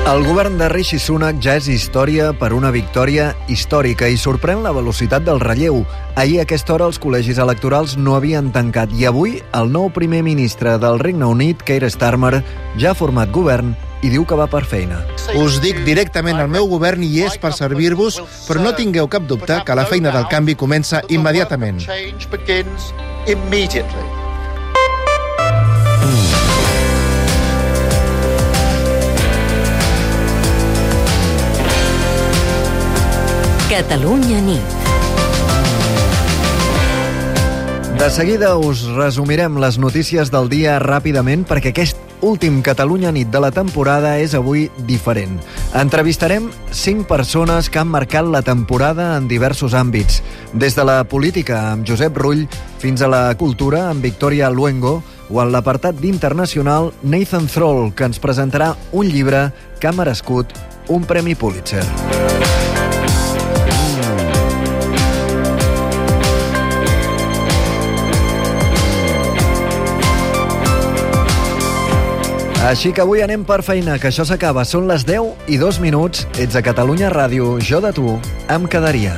El govern de Rishi Sunak ja és història per una victòria històrica i sorprèn la velocitat del relleu. Ahir a aquesta hora els col·legis electorals no havien tancat i avui el nou primer ministre del Regne Unit, Keir Starmer, ja ha format govern i diu que va per feina. Us dic directament, el meu govern hi és per servir-vos, però no tingueu cap dubte que la feina del canvi comença immediatament. Catalunya nit. De seguida us resumirem les notícies del dia ràpidament perquè aquest últim Catalunya nit de la temporada és avui diferent. Entrevistarem 5 persones que han marcat la temporada en diversos àmbits, des de la política amb Josep Rull fins a la cultura amb Victoria Luengo o en l'apartat d'internacional Nathan Thrall, que ens presentarà un llibre que ha merescut un Premi Pulitzer. Així que avui anem per feina, que això s'acaba. Són les 10:02. Ets a Catalunya Ràdio. Jo de tu em quedaria.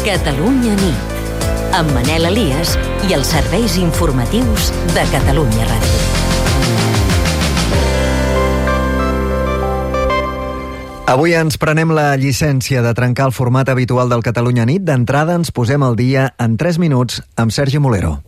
Catalunya nit. Amb Manel Elias i els serveis informatius de Catalunya Ràdio. Avui ens prenem la llicència de trencar el format habitual del Catalunya nit. D'entrada ens posem al dia en 3 minuts amb Sergi Molero.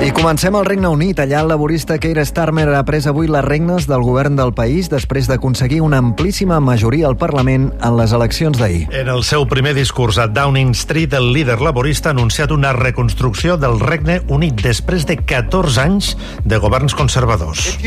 I comencem al Regne Unit. Allà el laborista Keir Starmer ha pres avui les regnes del govern del país després d'aconseguir una amplíssima majoria al Parlament en les eleccions d'ahir. En el seu primer discurs a Downing Street, el líder laborista ha anunciat una reconstrucció del Regne Unit després de 14 anys de governs conservadors.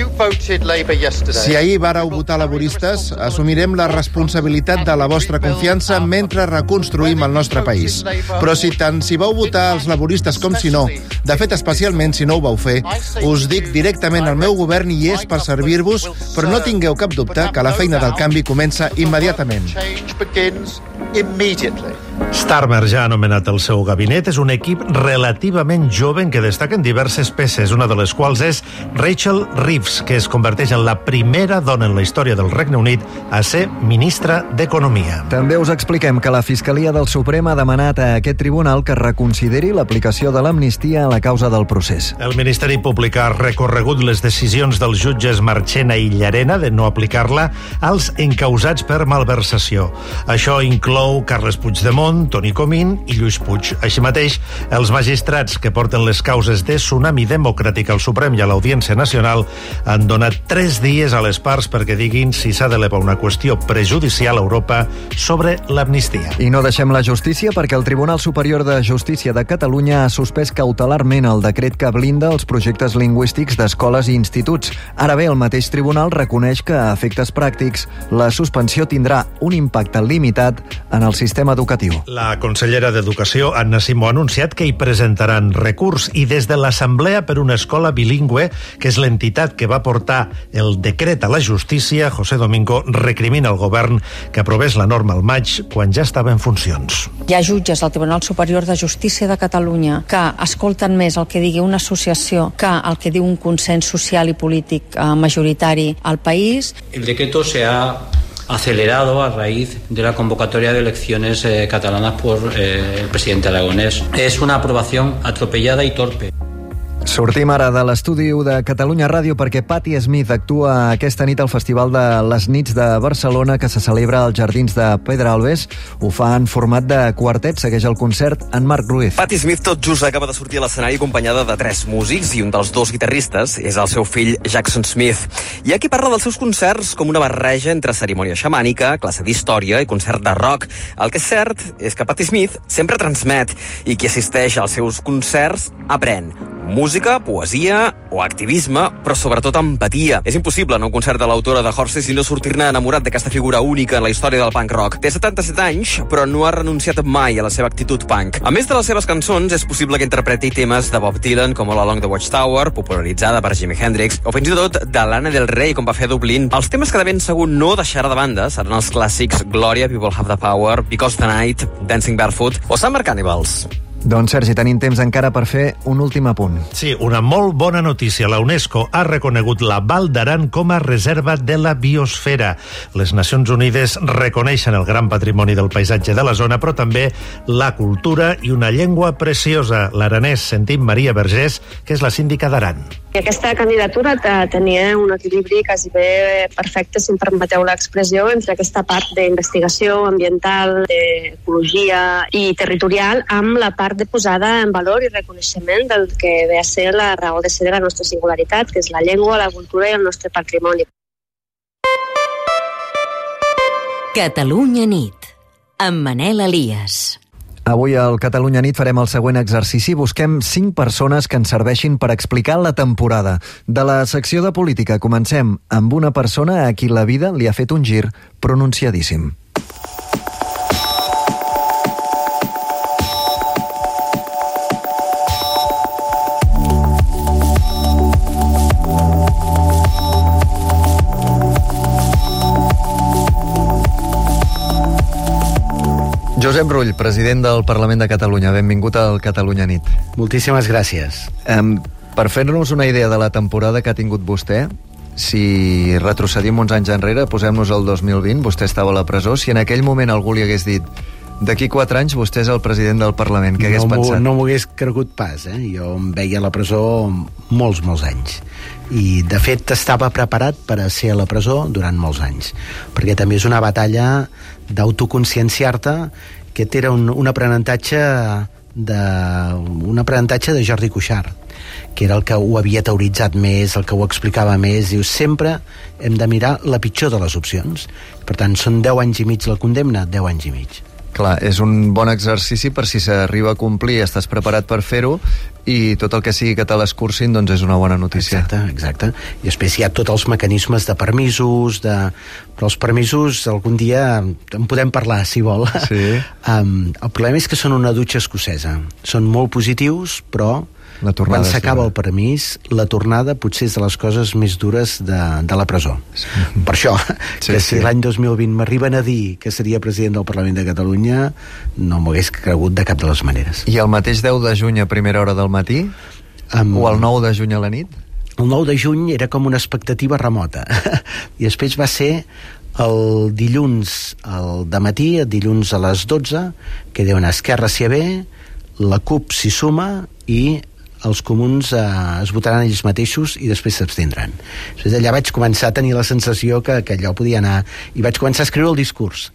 Si ahir vàreu votar laboristes, assumirem la responsabilitat de la vostra confiança mentre reconstruïm el nostre país. Però si tant si vau votar els laboristes com si no, de fet especialment si no ho vau fer, us dic directament, el meu govern hi és per servir-vos, però no tingueu cap dubte que la feina del canvi comença immediatament. Starmer ja ha anomenat el seu gabinet. És un equip relativament jove en què destaquen diverses peces, una de les quals és Rachel Reeves, que es converteix en la primera dona en la història del Regne Unit a ser ministra d'Economia. També us expliquem que la Fiscalia del Suprem ha demanat a aquest tribunal que reconsideri l'aplicació de l'amnistia a la causa del procés. El Ministeri Públic ha recorregut les decisions dels jutges Marchena i Llarena de no aplicar-la als encausats per malversació. Això inclou Carles Puigdemont, Toni Comín i Lluís Puig. Així mateix, els magistrats que porten les causes de Tsunami Democràtic al Suprem i a l'Audiència Nacional han donat 3 dies a les parts perquè diguin si s'ha d'elevar una qüestió prejudicial a Europa sobre l'amnistia. I no deixem la justícia perquè el Tribunal Superior de Justícia de Catalunya ha suspès cautelarment el decret que blinda els projectes lingüístics d'escoles i instituts. Ara bé, el mateix tribunal reconeix que, a efectes pràctics, la suspensió tindrà un impacte limitat en el sistema educatiu. La consellera d'Educació, Anna Simó, ha anunciat que hi presentaran recurs i des de l'Assemblea per una Escola Bilingüe, que és l'entitat que va portar el decret a la justícia, José Domingo recrimina al govern que aprovés la norma al maig quan ja estava en funcions. Hi ha jutges al Tribunal Superior de Justícia de Catalunya que escolten més el que digui una associació que el que diu un consens social i polític majoritari al país. El decreto se ha acelerado a raíz de la convocatoria de elecciones catalanas por el presidente aragonés. Es una aprobación atropellada y torpe. Sortim ara de l'estudi de Catalunya Ràdio perquè Patti Smith actua aquesta nit al Festival de les Nits de Barcelona que se celebra als Jardins de Pedralbes. Ho fa en format de quartet, segueix el concert en Marc Ruiz. Patti Smith tot just acaba de sortir a l'escenari acompanyada de 3 músics i un dels 2 guitarristes és el seu fill Jackson Smith. Hi ha qui parla dels seus concerts com una barreja entre cerimònia xamànica, classe d'història i concert de rock. El que és cert és que Patti Smith sempre transmet i qui assisteix als seus concerts aprèn. Música música, poesia o activisme, però sobretot empatia. És impossible anar a un concert de l'autora de Horses i no sortir-ne enamorat d'aquesta figura única en la història del punk rock. Té 77 anys, però no ha renunciat mai a la seva actitud punk. A més de les seves cançons, és possible que interpreti temes de Bob Dylan, com All Along the Watchtower, popularitzada per Jimi Hendrix, o fins i tot de Lana Del Rey, com va fer a Dublín. Els temes que de ben segur no deixarà de banda seran els clàssics Gloria, People Have the Power, Because the Night, Dancing Barefoot o Summer Cannibals. Doncs, Sergi, tenim temps encara per fer un últim apunt. Sí, una molt bona notícia. La UNESCO ha reconegut la Val d'Aran com a reserva de la biosfera. Les Nacions Unides reconeixen el gran patrimoni del paisatge de la zona, però també la cultura i una llengua preciosa. L'aranès, sentim Maria Vergés, que és la síndica d'Aran. Aquesta candidatura tenia un equilibri quasi bé perfecte, si em permeteu l'expressió, entre aquesta part d'investigació ambiental, d'ecologia i territorial, amb la part de posada en valor i reconeixement del que ve a ser la raó de ser de la nostra singularitat, que és la llengua, la cultura i el nostre patrimoni. Catalunya nit, amb Manel Elias. Avui al Catalunya Nit farem el següent exercici. Busquem 5 persones que ens serveixin per explicar la temporada. De la secció de política comencem amb una persona a qui la vida li ha fet un gir pronunciadíssim. Josep Rull, president del Parlament de Catalunya. Benvingut al Catalunya Nit. Moltíssimes gràcies. Per fer-nos una idea de la temporada que ha tingut vostè, si retrocedim uns anys enrere, posem-nos al 2020, vostè estava a la presó, si en aquell moment algú li hagués dit d'aquí 4 anys vostè és el president del Parlament, què hagués pensat? No m'ho hagués cregut pas, Jo em veia a la presó molts anys. I, de fet, estava preparat per a ser a la presó durant molts anys, perquè també és una batalla d'autoconscienciar-te. Aquest era un aprenentatge de Jordi Cuixart, que era el que ho havia teoritzat més, el que ho explicava més. Diu, sempre hem de mirar la pitjor de les opcions. Per tant, són 10 anys i mig la condemna, 10 anys i mig. Clar, és un bon exercici per si s'arriba a complir, estàs preparat per fer-ho, i tot el que sigui que te l'escurcin, doncs és una bona notícia. Exacte. I després hi ha tots els mecanismes de permisos, però els permisos algun dia en podem parlar, si vol. Sí. El problema és que són una dutxa escocesa. Són molt positius, però quan s'acaba el permís, la tornada potser és de les coses més dures de la presó. Sí. Per això, si l'any 2020 m'arriben a dir que seria president del Parlament de Catalunya, no m'ho hagués cregut de cap de les maneres. I el mateix 10 de juny a primera hora del matí? O el 9 de juny a la nit? El 9 de juny era com una expectativa remota. I després va ser el dilluns al dematí, el dilluns a les 12, que diuen Esquerra s'hi ve, la CUP s'hi suma i els comuns es votaran ells mateixos i després s'abstindran. Després d'allà vaig començar a tenir la sensació que allò podia anar, i vaig començar a escriure el discurs.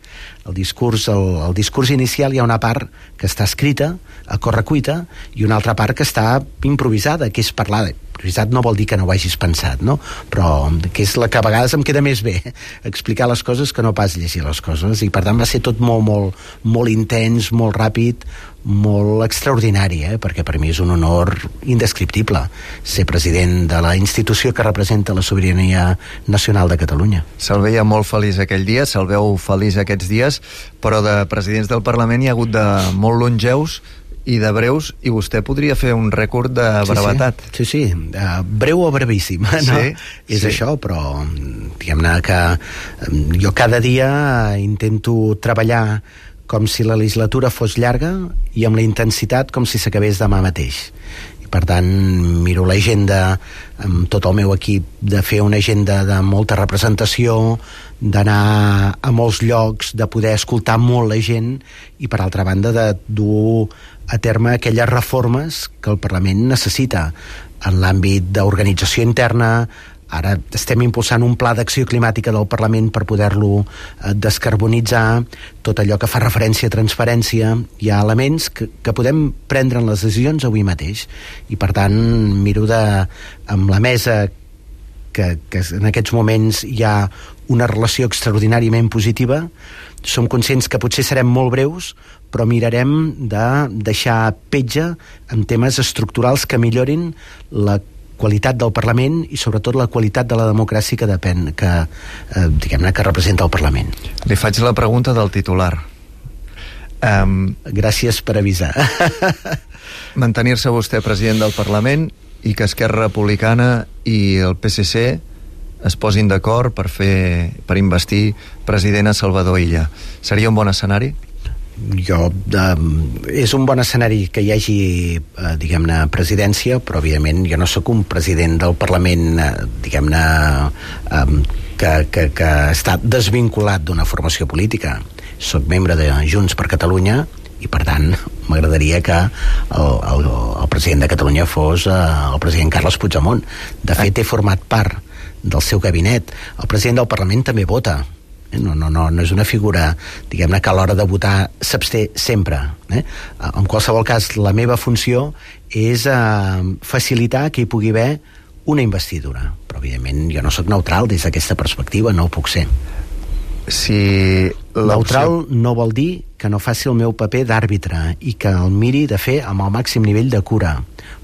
El discurs inicial hi ha una part que està escrita a correcuita i una altra part que està improvisada, que és parlar. Improvisat no vol dir que no ho hagis pensat, no? Però que és la que a vegades em queda més bé, explicar les coses que no pas llegir les coses, i per tant va ser tot molt intens, molt ràpid, molt extraordinari, perquè per mi és un honor indescriptible ser president de la institució que representa la sobirania nacional de Catalunya. Se'l veia molt feliç aquell dia, se'l veu feliç aquests dies, però de presidents del Parlament hi ha hagut de molt longeus i de breus, i vostè podria fer un rècord de brevetat. Sí. Breu o brevíssim, no? Sí, és això, però diguem-ne que jo cada dia intento treballar com si la legislatura fos llarga i amb la intensitat com si s'acabés demà mateix. I per tant miro l'agenda amb tot el meu equip de fer una agenda de molta representació, d'anar a molts llocs, de poder escoltar molt la gent i, per altra banda, de dur a terme aquelles reformes que el Parlament necessita en l'àmbit d'organització interna. Ara estem impulsant un pla d'acció climàtica del Parlament per poder-lo descarbonitzar, tot allò que fa referència a transparència. Hi ha elements que podem prendre en les decisions avui mateix, i per tant miro amb la mesa que en aquests moments hi ha una relació extraordinàriament positiva. Som conscients que potser serem molt breus, però mirarem de deixar petja en temes estructurals que millorin la qualitat del Parlament i sobretot la qualitat de la democràcia que diguem-ne que representa el Parlament. Li faig la pregunta del titular. Gràcies per avisar. Mantenir-se vostè president del Parlament i que Esquerra Republicana i el PSC es posin d'acord per investir president a Salvador Illa. Seria un bon escenari? És un bon escenari que hi hagi, diguem-ne, presidència, però evidentment jo no sóc un president del Parlament, diguem-ne, que està desvinculat d'una formació política. Soc membre de Junts per Catalunya i, per tant, m'agradaria que el president de Catalunya fos el president Carles Puigdemont. De fet, he format part del seu gabinet. El president del Parlament també vota. No és una figura, diguem-ne, que a l'hora de votar s'absté sempre. En qualsevol cas, la meva funció és facilitar que hi pugui haver una investidura. Però, evidentment, jo no sóc neutral des d'aquesta perspectiva, no ho puc ser. Neutral no vol dir que no faci el meu paper d'àrbitre i que el miri de fer amb el màxim nivell de cura,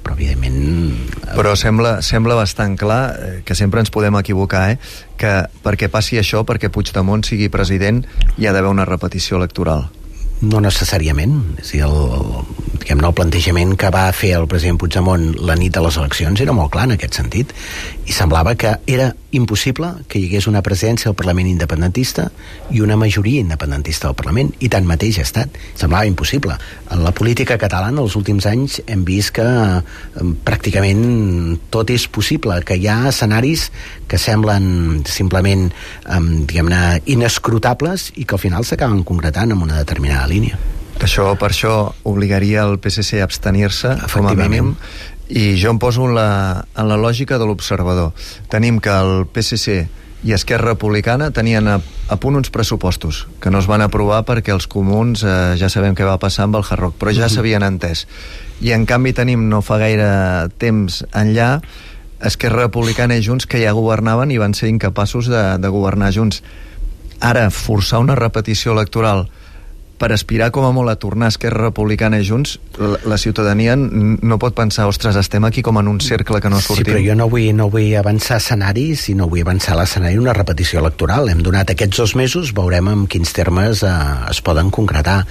però evidentment... Però sembla bastant clar que sempre ens podem equivocar, que perquè passi això, perquè Puigdemont sigui president, hi ha d'haver una repetició electoral. No necessàriament. És a dir, el plantejament que va fer el president Puigdemont la nit de les eleccions era molt clar en aquest sentit, i semblava que era impossible que hi hagués una presència al Parlament independentista i una majoria independentista al Parlament, i tanmateix ha estat. Semblava impossible. En la política catalana els últims anys hem vist que pràcticament tot és possible, que hi ha escenaris que semblen simplement diguem-ne inescrutables i que al final s'acaben concretant en una determinada línia. Per això obligaria el PSC a abstenir-se com a mínim. I jo em poso en la lògica de l'observador. Tenim que el PSC i Esquerra Republicana tenien a punt uns pressupostos que no es van aprovar perquè els comuns ja sabem què va passar amb el Hard Rock, però ja s'havien entès. I en canvi tenim no fa gaire temps enllà Esquerra Republicana i Junts que ja governaven i van ser incapaços de governar junts. Ara, forçar una repetició electoral per aspirar com a molt a tornar a Esquerra Republicana i Junts, la ciutadania no pot pensar, ostres, estem aquí com en un cercle que no sortim. Sí, però jo no vull avançar escenaris i no vull avançar l'escenari una repetició electoral. Hem donat aquests 2 mesos, veurem en quins termes es poden concretar.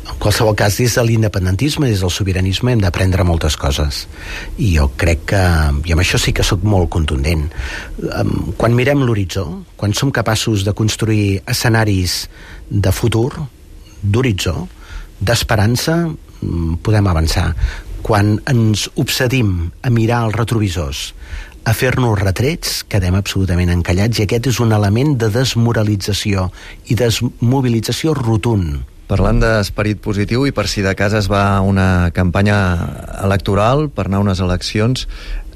En qualsevol cas, des de l'independentisme, des del sobiranisme, hem d'aprendre moltes coses. I jo crec que, i amb això sí que sóc molt contundent, quan mirem l'horitzó, quan som capaços de construir escenaris de futur, d'horitzó, d'esperança, podem avançar. Quan ens obsedim a mirar els retrovisors, a fer-nos retrets, quedem absolutament encallats, i aquest és un element de desmoralització i desmobilització rotund. Parlant d'esperit positiu, i per si de cas es va una campanya electoral per anar a unes eleccions,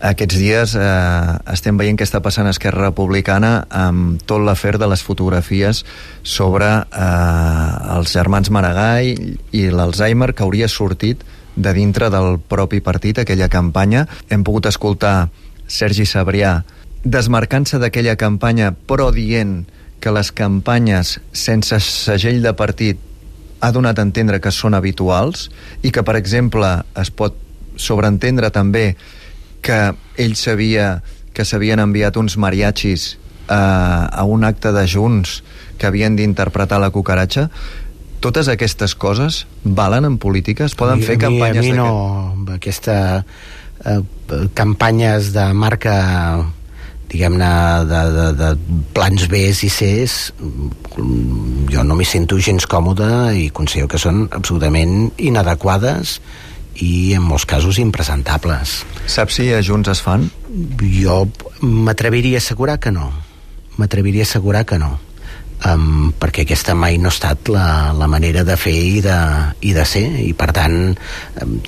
aquests dies estem veient què està passant a Esquerra Republicana amb tot l'afer de les fotografies sobre els germans Maragall i l'Alzheimer que hauria sortit de dintre del propi partit, aquella campanya. Hem pogut escoltar Sergi Sabrià desmarcant-se d'aquella campanya, però dient que les campanyes sense segell de partit ha donat a entendre que són habituals i que, per exemple, es pot sobreentendre també que ell sabia que s'havien enviat uns mariachis a un acte de Junts que havien d'interpretar la cucaratxa. Totes aquestes coses valen en política? Es poden fer campanyes d'aquest? No, aquesta campanyes de marca, diguem-ne, de plans Bs i Cs, jo no m'hi sento gens còmode i considero que són absolutament inadequades i en molts casos impresentables. Saps si a Junts es fan? Jo m'atreviria a assegurar que no. Perquè aquesta mai no ha estat la manera de fer i de ser, i per tant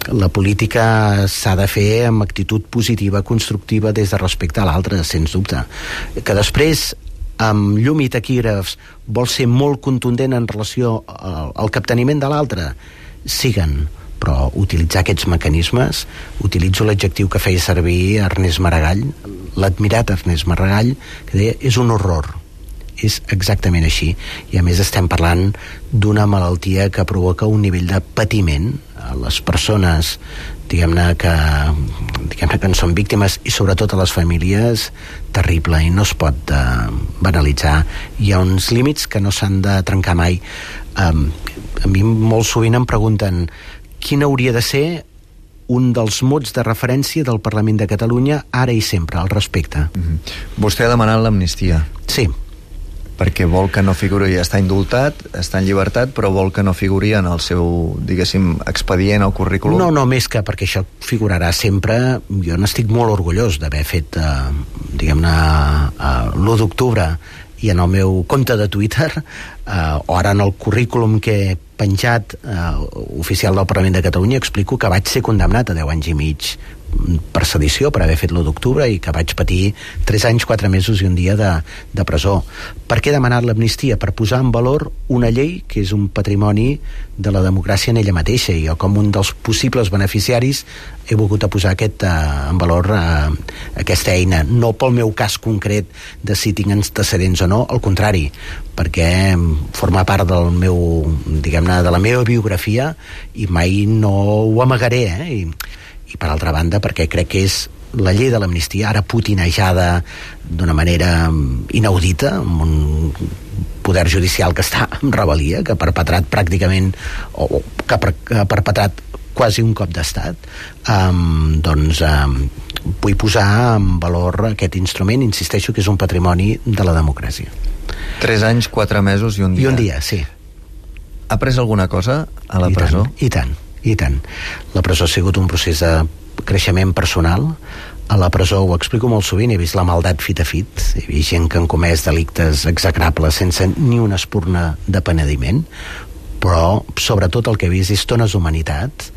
la política s'ha de fer amb actitud positiva, constructiva, des de respecte a l'altre, sens dubte. Que després amb llum i taquígrafs vol ser molt contundent en relació al capteniment de l'altre, siguen, però utilitzar aquests mecanismes, utilitzo l'adjectiu que feia servir Ernest Maragall, l'admirat Ernest Maragall, que deia, és un horror. és exactament així. I a més estem parlant d'una malaltia que provoca un nivell de patiment a les persones diguem-ne que en són víctimes i sobretot a les famílies terrible, i no es pot banalitzar. Hi ha uns límits que no s'han de trencar mai. A mi molt sovint em pregunten quin hauria de ser un dels mots de referència del Parlament de Catalunya ara i sempre, al respecte. Vostè ha demanat l'amnistia. Sí. Perquè vol que no figuri, està indultat, està en llibertat, però vol que no figuri en el seu, diguéssim, expedient o currículum? No, més que perquè això figurarà sempre. Jo n'estic molt orgullós d'haver fet, diguem-ne, l'1 d'octubre i en el meu compte de Twitter, o ara en el currículum que he penjat oficial del Parlament de Catalunya, explico que vaig ser condemnat a 10 anys i mig per sedició, per haver fet l'1 d'octubre, i que vaig patir 3 anys, 4 mesos i un dia de presó. Per què he demanat l'amnistia? Per posar en valor una llei que és un patrimoni de la democràcia en ella mateixa, i jo com un dels possibles beneficiaris he volgut posar en valor aquesta eina, no pel meu cas concret de si tinc antecedents o no, al contrari, perquè forma part del meu, diguem-ne, de la meva biografia, i mai no ho amagaré, i per altra banda perquè crec que és la llei de l'amnistia ara putinejada d'una manera inaudita, amb un poder judicial que està en rebel·lia, que ha perpetrat pràcticament o que ha perpetrat quasi un cop d'estat. Vull posar en valor aquest instrument, insisteixo que és un patrimoni de la democràcia. 3 anys, 4 mesos i un dia. I un dia, sí. Ha pres alguna cosa a la presó? I tant. La presó ha sigut un procés de creixement personal. A la presó, ho explico molt sovint, he vist la maldat fit a fit, he vist gent que han comès delictes execrables sense ni una espurna de penediment, però sobretot el que he vist és tones d'humanitat,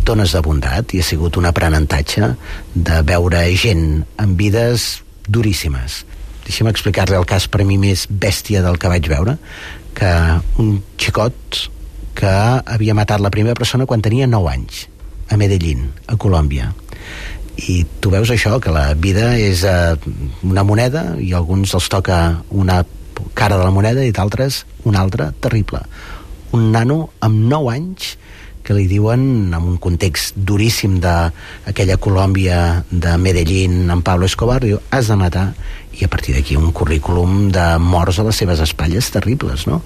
tones de bondat, i ha sigut un aprenentatge de veure gent amb vides duríssimes. Deixa'm explicar-li el cas per mi més bèstia del que vaig veure, que un xicot que havia matat la primera persona quan tenia 9 anys, a Medellín, a Colòmbia. I tu veus això, que la vida és una moneda, i a alguns els toca una cara de la moneda i d'altres una altra terrible. Un nano amb 9 anys que li diuen, en un context duríssim d'aquella Colòmbia de Medellín, en Pablo Escobar, diu, has de matar, i a partir d'aquí un currículum de morts a les seves espatlles terribles, no?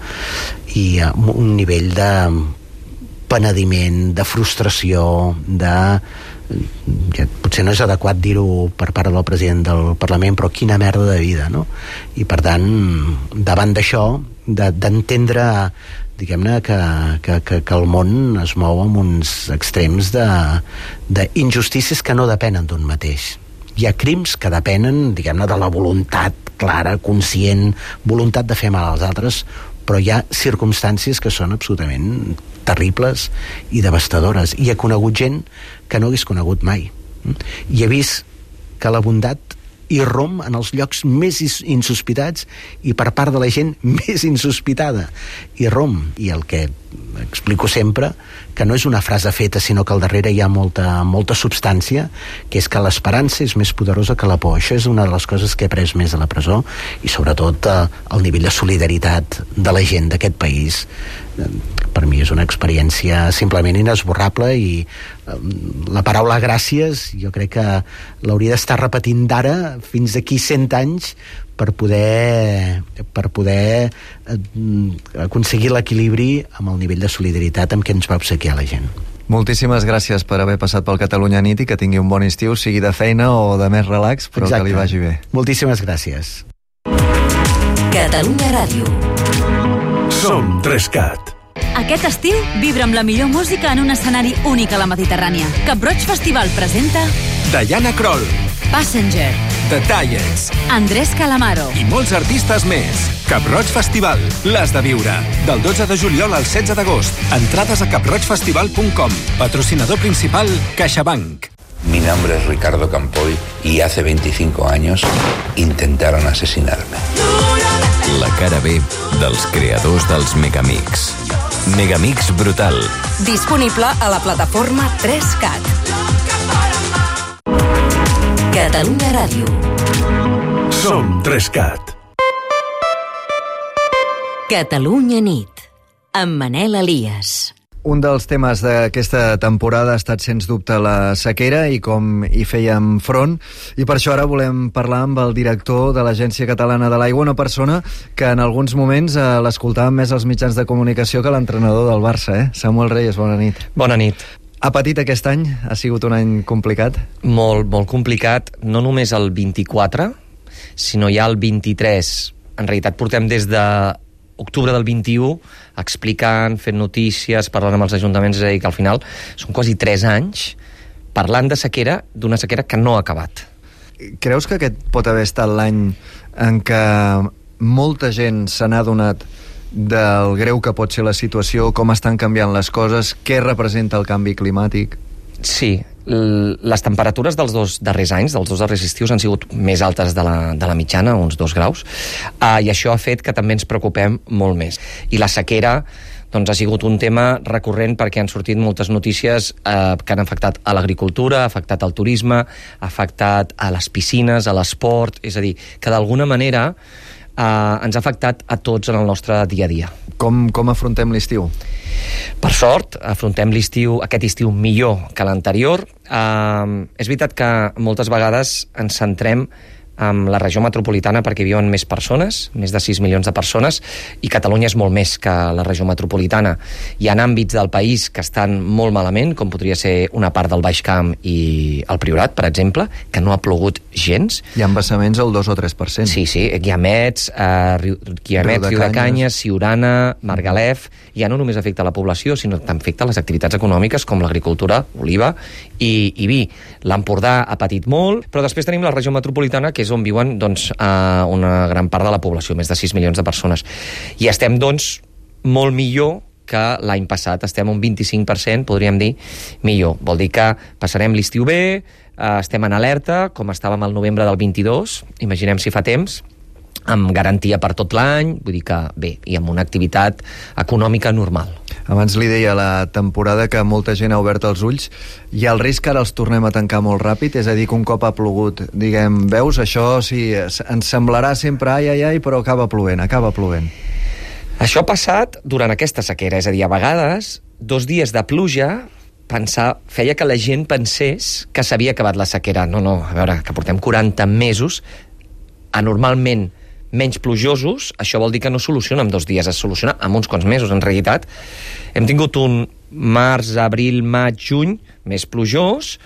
I un nivell de penediment, de frustració, potser no és adequat dir-ho per part del president del Parlament, però quina merda de vida, no? I per tant, davant d'això, d'entendre, diguem-ne, que el món es mou amb uns extrems d'injustícies que no depenen d'un mateix. Hi ha crims que depenen, diguem-ne, de la voluntat clara, conscient, voluntat de fer mal als altres, però hi ha circumstàncies que són absolutament terribles i devastadores. I he conegut gent que no hagués conegut mai. I he vist que la bondat irromp en els llocs més insospitats i per part de la gent més insospitada. Irromp. I el que explico sempre, que no és una frase feta, sinó que al darrere hi ha molta substància, que és que l'esperança és més poderosa que la por. Això és una de les coses que he après més a la presó, i sobretot el nivell de solidaritat de la gent d'aquest país. Per mi és una experiència simplement inesborrable, i la paraula gràcies jo crec que l'hauria d'estar repetint d'ara fins d'aquí 100 anys per poder aconseguir l'equilibri amb el nivell de solidaritat amb què ens va obsequiar la gent. Moltíssimes gràcies per haver passat pel Catalunya Nit, i que tingui un bon estiu, sigui de feina o de més relax, però exacte, que li vagi bé. Moltíssimes gràcies. Catalunya Ràdio. Som 3CAT. Aquest estiu vibra amb la millor música en un escenari únic a la Mediterrània. Cap Roig Festival presenta Diana Kroll, Passenger, The Tallets, Andrés Calamaro i molts artistes més. Cap Roig Festival, l'has de viure. Del 12 de juliol al 16 d'agost. Entrades a caproigfestival.com. Patrocinador principal, CaixaBank. Mi nombre es Ricardo Campoy y hace 25 años intentaron asesinarme. La cara B dels creadors dels Megamix. Megamix Brutal. Disponible a la plataforma 3CAT. Catalunya Ràdio. Som 3CAT. Catalunya nit, amb Manel Elias. Un dels temes d'aquesta temporada ha estat, sens dubte, la sequera i com hi fèiem front. I per això ara volem parlar amb el director de l'Agència Catalana de l'Aigua, una persona que en alguns moments l'escoltàvem més als mitjans de comunicació que l'entrenador del Barça, Samuel Reyes, bona nit. Bona nit. Ha patit aquest any? Ha sigut un any complicat? Molt, molt complicat. No només el 24, sinó ja el 23. En realitat portem des de octubre del 21 explicant, fent notícies, parlant amb els ajuntaments, és a dir, que al final són quasi 3 anys parlant de sequera, d'una sequera que no ha acabat. Creus que aquest pot haver estat l'any en què molta gent se n'ha adonat del greu que pot ser la situació, com estan canviant les coses, què representa el canvi climàtic? Sí, les temperatures dels 2 darrers anys, dels 2 darrers estius, han sigut més altes de la mitjana, uns 2 graus, i això ha fet que també ens preocupem molt més. I la sequera doncs, ha sigut un tema recurrent perquè han sortit moltes notícies que han afectat a l'agricultura, ha afectat al turisme, ha afectat a les piscines, a l'esport, és a dir, que d'alguna manera ens ha afectat a tots en el nostre dia a dia. Com afrontem l'estiu? Per sort, afrontem aquest estiu millor que l'anterior. És veritat que moltes vegades ens centrem en la regió metropolitana perquè viuen més persones, més de 6 milions de persones, i Catalunya és molt més que la regió metropolitana. Hi ha àmbits del país que estan molt malament, com podria ser una part del Baix Camp i el Priorat, per exemple, que no ha plogut gens. Hi ha embassaments al 2 o 3%. Sí, Guiamets, Riudecanyes, Siurana, Margalef. Ja no només afecta la població, sinó que afecta les activitats econòmiques com l'agricultura, oliva i vi. L'Empordà ha patit molt, però després tenim la regió metropolitana, que és on viuen una gran part de la població, més de 6 milions de persones. I estem, doncs, molt millor que l'any passat. Estem un 25%, podríem dir, millor. Vol dir que passarem l'estiu bé, estem en alerta, com estàvem al novembre del 22, imaginem si fa temps, amb garantia per tot l'any, vull dir que bé, i amb una activitat econòmica normal. Abans li deia a la temporada que molta gent ha obert els ulls. Hi ha el risc que ara els tornem a tancar molt ràpid? És a dir, que un cop ha plogut, diguem, veus, això sí, ens semblarà sempre ai, però acaba plovent. Això ha passat durant aquesta sequera, és a dir, a vegades, 2 dies de pluja feia que la gent pensés que s'havia acabat la sequera. No, a veure, que portem 40 mesos anormalment menys plujosos, això vol dir que no soluciona en 2 dies, es soluciona en uns quants mesos. En realitat, hem tingut un març, abril, maig, juny més plujós,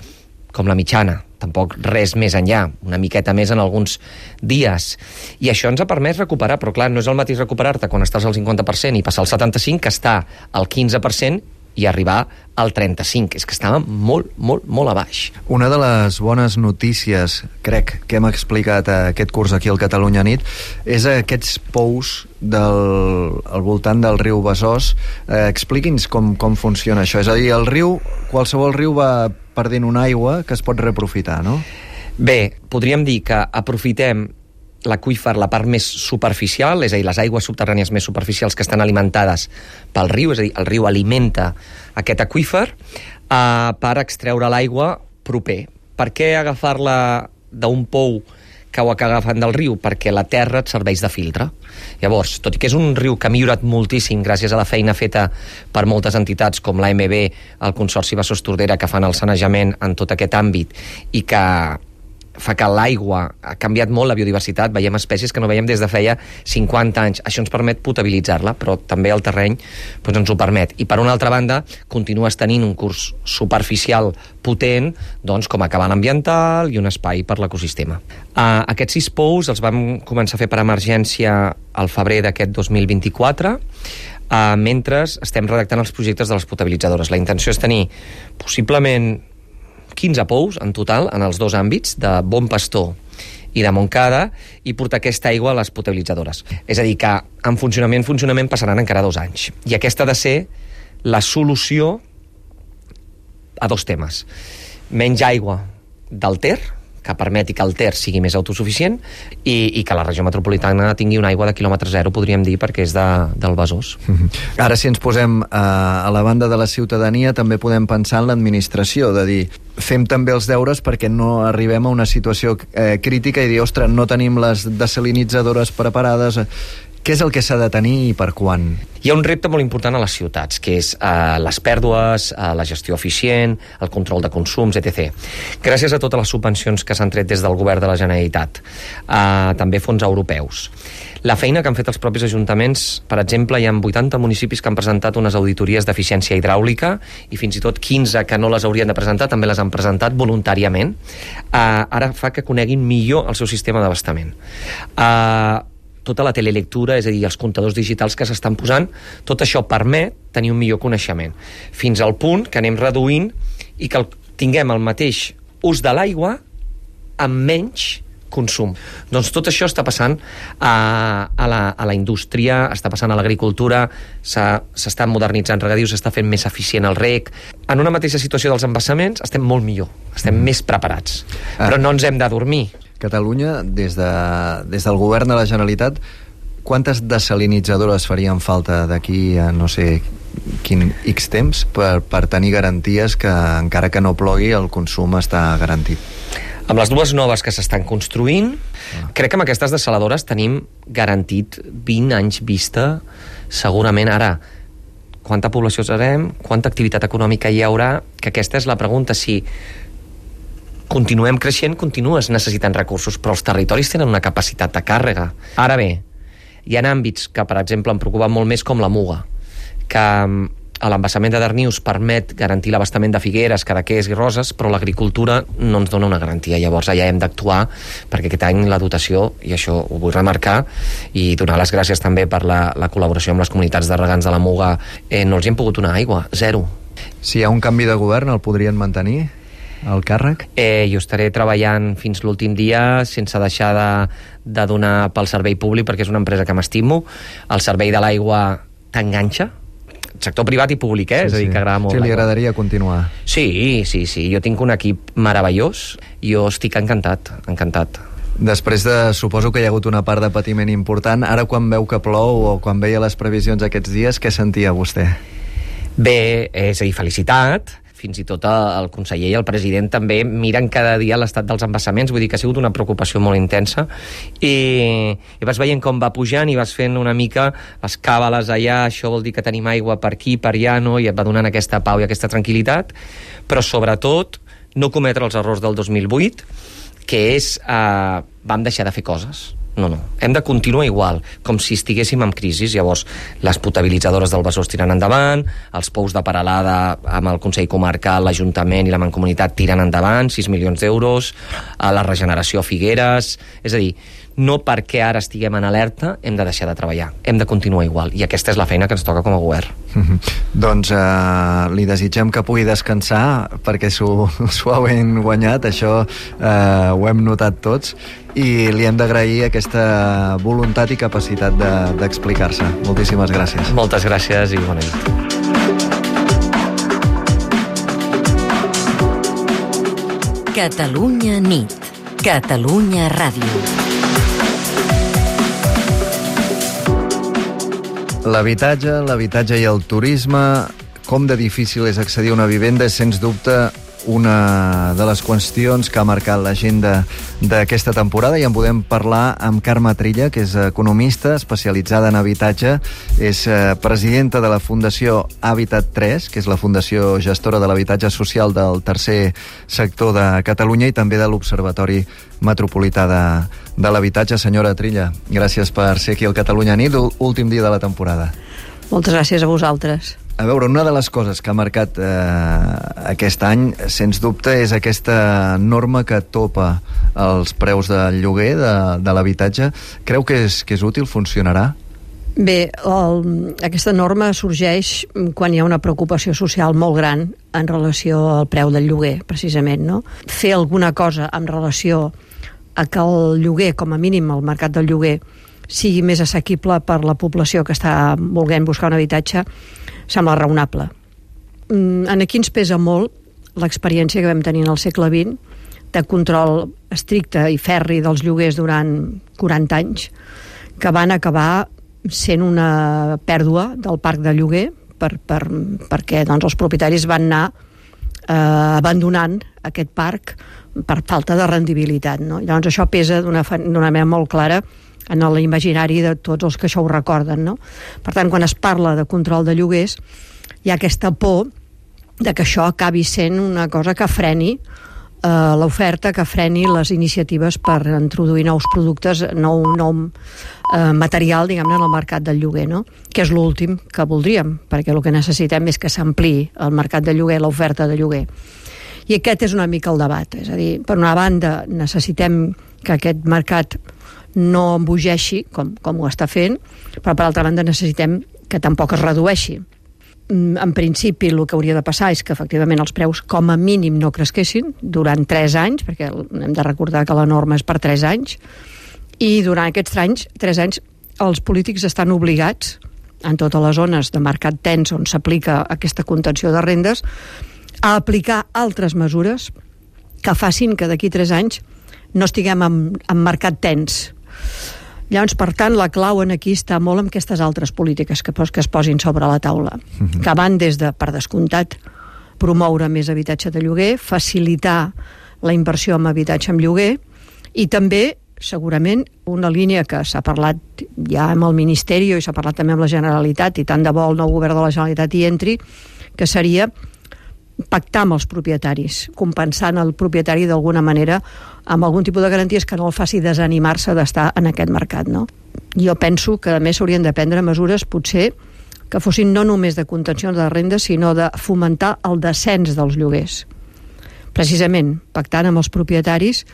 com la mitjana, tampoc res més enllà, una miqueta més en alguns dies. I això ens ha permès recuperar, però clar, no és el mateix recuperar-te quan estàs al 50% i passar al 75% que està al 15% i arribar al 35%. És que estàvem molt, molt, molt a baix. Una de les bones notícies, crec, que hem explicat aquest curs aquí al Catalunya Nit, és aquests pous al voltant del riu Besòs. Expliqui'ns com funciona això. És a dir, qualsevol riu va perdent una aigua que es pot reaprofitar, no? Bé, podríem dir que aprofitem l'aqüífer, la part més superficial, és a dir, les aigües subterrànies més superficials que estan alimentades pel riu, és a dir, el riu alimenta aquest aqüífer per extreure l'aigua proper. Per què agafar-la d'un pou que ho agafen del riu? Perquè la terra et serveix de filtre. Llavors, tot i que és un riu que ha millorat moltíssim gràcies a la feina feta per moltes entitats com l'AMB, el Consorci Besòs Tordera, que fan el sanejament en tot aquest àmbit i que fa que l'aigua ha canviat molt la biodiversitat, veiem espècies que no veiem des de feia 50 anys. Això ens permet potabilitzar-la, però també el terreny ens ho permet. I per una altra banda, continues tenint un curs superficial potent, com a cabal ambiental i un espai per l'ecosistema. Aquests 6 pous els vam començar a fer per emergència al febrer d'aquest 2024, mentre estem redactant els projectes de les potabilitzadores. La intenció és tenir possiblement 15 pous en total en els 2 àmbits de Bon Pastor i de Montcada i portar aquesta aigua a les potabilitzadores. És a dir, que en funcionament passaran encara 2 anys. I aquesta ha de ser la solució a 2 temes. Menys aigua del Ter, que permeti que el Ter sigui més autosuficient i que la regió metropolitana tingui una aigua de quilòmetre zero, podríem dir, perquè és del Besòs. Ara, si ens posem a la banda de la ciutadania, també podem pensar en l'administració, de dir, fem també els deures perquè no arribem a una situació crítica i dir, ostres, no tenim les desalinitzadores preparades. Què és el que s'ha de tenir i per quan? Hi ha un repte molt important a les ciutats, que és les pèrdues, la gestió eficient, el control de consums, etc. Gràcies a totes les subvencions que s'han tret des del govern de la Generalitat, també fons europeus. La feina que han fet els propis ajuntaments, per exemple, hi ha 80 municipis que han presentat unes auditories d'eficiència hidràulica i fins i tot 15 que no les haurien de presentar també les han presentat voluntàriament. Ara fa que coneguin millor el seu sistema d'abastament. Tota la telelectura, és a dir, els comptadors digitals que s'estan posant, tot això permet tenir un millor coneixement, fins al punt que anem reduint i que tinguem el mateix ús de l'aigua amb menys consum. Doncs tot això està passant a la indústria, està passant a l'agricultura, s'estan modernitzant regadius, s'està fent més eficient el reg. En una mateixa situació dels embassaments estem molt millor, estem més preparats, però no ens hem de dormir. Catalunya, des del govern de la Generalitat, quantes desalinitzadores farien falta d'aquí a no sé quin X temps per tenir garanties que encara que no plogui el consum està garantit? Amb les dues noves que s'estan construint, crec que amb aquestes desaladores tenim garantit 20 anys vista, segurament. Ara, quanta població serem, quanta activitat econòmica hi haurà, que aquesta és la pregunta. Si continuem creixent, continues necessitant recursos, però els territoris tenen una capacitat de càrrega. Ara bé, hi ha àmbits que, per exemple, em preocupen molt més, com la Muga, que l'embassament de Darnius permet garantir l'abastament de Figueres, Cadaqués i Roses, però l'agricultura no ens dona una garantia. Llavors allà hem d'actuar, perquè aquest any la dotació, i això ho vull remarcar, i donar les gràcies també per la col·laboració amb les comunitats de regants de la Muga, no els hi hem pogut donar aigua, 0. Si hi ha un canvi de govern, el podrien mantenir? El càrrec? Jo estaré treballant fins l'últim dia sense deixar de donar pel servei públic, perquè és una empresa que m'estimo. El servei de l'aigua t'enganxa, sector privat i públic, és a dir, que agrada molt. Sí, li agradaria continuar. Sí, jo tinc un equip meravellós, jo estic encantat. Després suposo que hi ha hagut una part de patiment important. Ara, quan veu que plou o quan veia les previsions aquests dies, què sentia vostè? Bé, és a dir, felicitat. Fins i tot el conseller i el president també miren cada dia l'estat dels embassaments, vull dir que ha sigut una preocupació molt intensa, i vas veient com va pujant i vas fent una mica les càbales allà, això vol dir que tenim aigua per aquí, per allà, no? I et va donant aquesta pau i aquesta tranquil·litat, però sobretot no cometre els errors del 2008, que és vam deixar de fer coses. No, hem de continuar igual, com si estiguéssim en crisi. Llavors, les potabilitzadores del Besòs tiren endavant, els pous de Peralada amb el Consell Comarcal, l'Ajuntament i la Mancomunitat tiren endavant, 6 milions d'euros, la regeneració a Figueres. És a dir, no perquè ara estiguem en alerta hem de deixar de treballar, hem de continuar igual, i aquesta és la feina que ens toca com a govern. Doncs li desitgem que pugui descansar, perquè s'ho ha ben guanyat, això ho hem notat tots, i li hem d'agrair aquesta voluntat i capacitat d'explicar-se. Moltíssimes gràcies. Moltes gràcies i bona nit. Catalunya nit. Catalunya Ràdio. L'habitatge i el turisme, com de difícil és accedir a una vivenda, és sens dubte una de les qüestions que ha marcat l'agenda d'aquesta temporada, i en podem parlar amb Carme Trilla, que és economista especialitzada en habitatge, és presidenta de la Fundació Habitat 3, que és la fundació gestora de l'habitatge social del tercer sector de Catalunya, i també de l'Observatori Metropolità de l'Habitatge. Senyora Trilla, gràcies per ser aquí al Catalunya Nit, últim dia de la temporada. Moltes gràcies a vosaltres. A veure, una de les coses que ha marcat aquest any, sens dubte, és aquesta norma que topa els preus del lloguer de l'habitatge. Creu que és útil? Funcionarà? Bé, aquesta norma sorgeix quan hi ha una preocupació social molt gran en relació al preu del lloguer, precisament, no? Fer alguna cosa en relació a que el lloguer, com a mínim el mercat del lloguer, sigui més assequible per la població que està volent buscar un habitatge, sembla raonable. Aquí ens pesa molt l'experiència que vam tenir en el segle XX de control estricte i ferri dels lloguers durant 40 anys, que van acabar sent una pèrdua del parc de lloguer perquè doncs, els propietaris van anar abandonant aquest parc per falta de rendibilitat, no? Llavors això pesa d'una manera molt clara en l'imaginari de tots els que això ho recorden, no? Per tant, quan es parla de control de lloguers, hi ha aquesta por de que això acabi sent una cosa que freni l'oferta, que freni les iniciatives per introduir nous productes, nou material, diguem-ne, en el mercat del lloguer, no? Que és l'últim que voldríem, perquè el que necessitem és que s'ampliï el mercat de lloguer, l'oferta de lloguer. I aquest és una mica el debat, és a dir, per una banda necessitem que aquest mercat no embogeixi, com ho està fent, però per altra banda necessitem que tampoc es redueixi. En principi el que hauria de passar és que efectivament els preus com a mínim no cresquessin durant 3 anys, perquè hem de recordar que la norma és per 3 anys, i durant aquests 3 anys els polítics estan obligats, en totes les zones de mercat tens on s'aplica aquesta contenció de rendes, a aplicar altres mesures que facin que d'aquí 3 anys no estiguem en mercat tens. Llavors, per tant, la clau aquí està molt en aquestes altres polítiques que es posin sobre la taula, que van des de, per descomptat, promoure més habitatge de lloguer, facilitar la inversió en habitatge en lloguer, i també, segurament, una línia que s'ha parlat ja amb el Ministeri i s'ha parlat també amb la Generalitat, i tant de bo el nou govern de la Generalitat hi entri, que seria pactar amb els propietaris, compensant el propietari d'alguna manera amb algun tipus de garanties que no el faci desanimar-se d'estar en aquest mercat, no? Jo penso que a més s'haurien de prendre mesures potser que fossin no només de contenció de rendes, sinó de fomentar el descens dels lloguers. Precisament, pactant amb els propietaris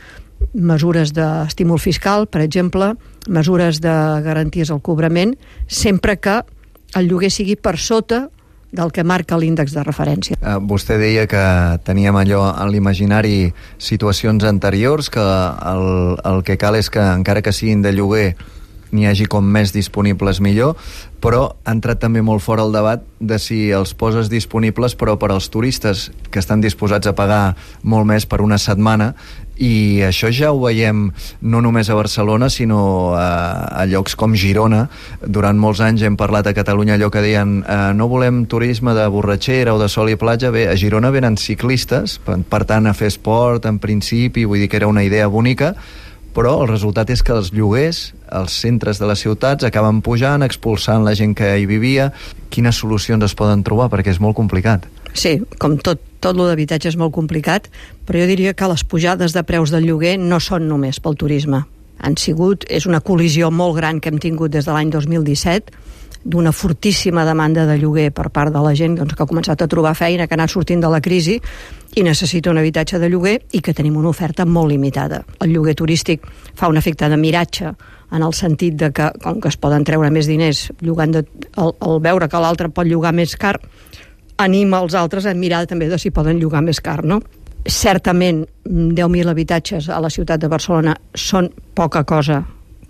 mesures d'estímul fiscal, per exemple, mesures de garanties al cobrament, sempre que el lloguer sigui per sota del que marca l'índex de referència. Vostè deia que teníem allò en l'imaginari situacions anteriors, que el que cal és que encara que siguin de lloguer n'hi hagi com més disponibles millor, però ha entrat també molt fora el debat de si els poses disponibles però per als turistes que estan disposats a pagar molt més per una setmana, i això ja ho veiem no només a Barcelona sinó a llocs com Girona. Durant molts anys hem parlat a Catalunya allò que deien no volem turisme de borratxera o de sol i platja. Bé, a Girona venen ciclistes, per tant a fer esport en principi, vull dir que era una idea bonica, però el resultat és que els lloguers, els centres de les ciutats acaben pujant, expulsant la gent que hi vivia. Quines solucions es poden trobar? Perquè és molt complicat. Sí, com tot lo d'habitatge és molt complicat, però jo diria que les pujades de preus del lloguer no són només pel turisme. És una col·lisió molt gran que hem tingut des de l'any 2017, d'una fortíssima demanda de lloguer per part de la gent que ha començat a trobar feina, que ha anat sortint de la crisi i necessita un habitatge de lloguer, i que tenim una oferta molt limitada. El lloguer turístic fa un efecte de miratge en el sentit de que, com que es poden treure més diners llogant al veure que l'altre pot llogar més car, anima els altres a mirar també de si poden llogar més car, no? Certament 10.000 habitatges a la ciutat de Barcelona són poca cosa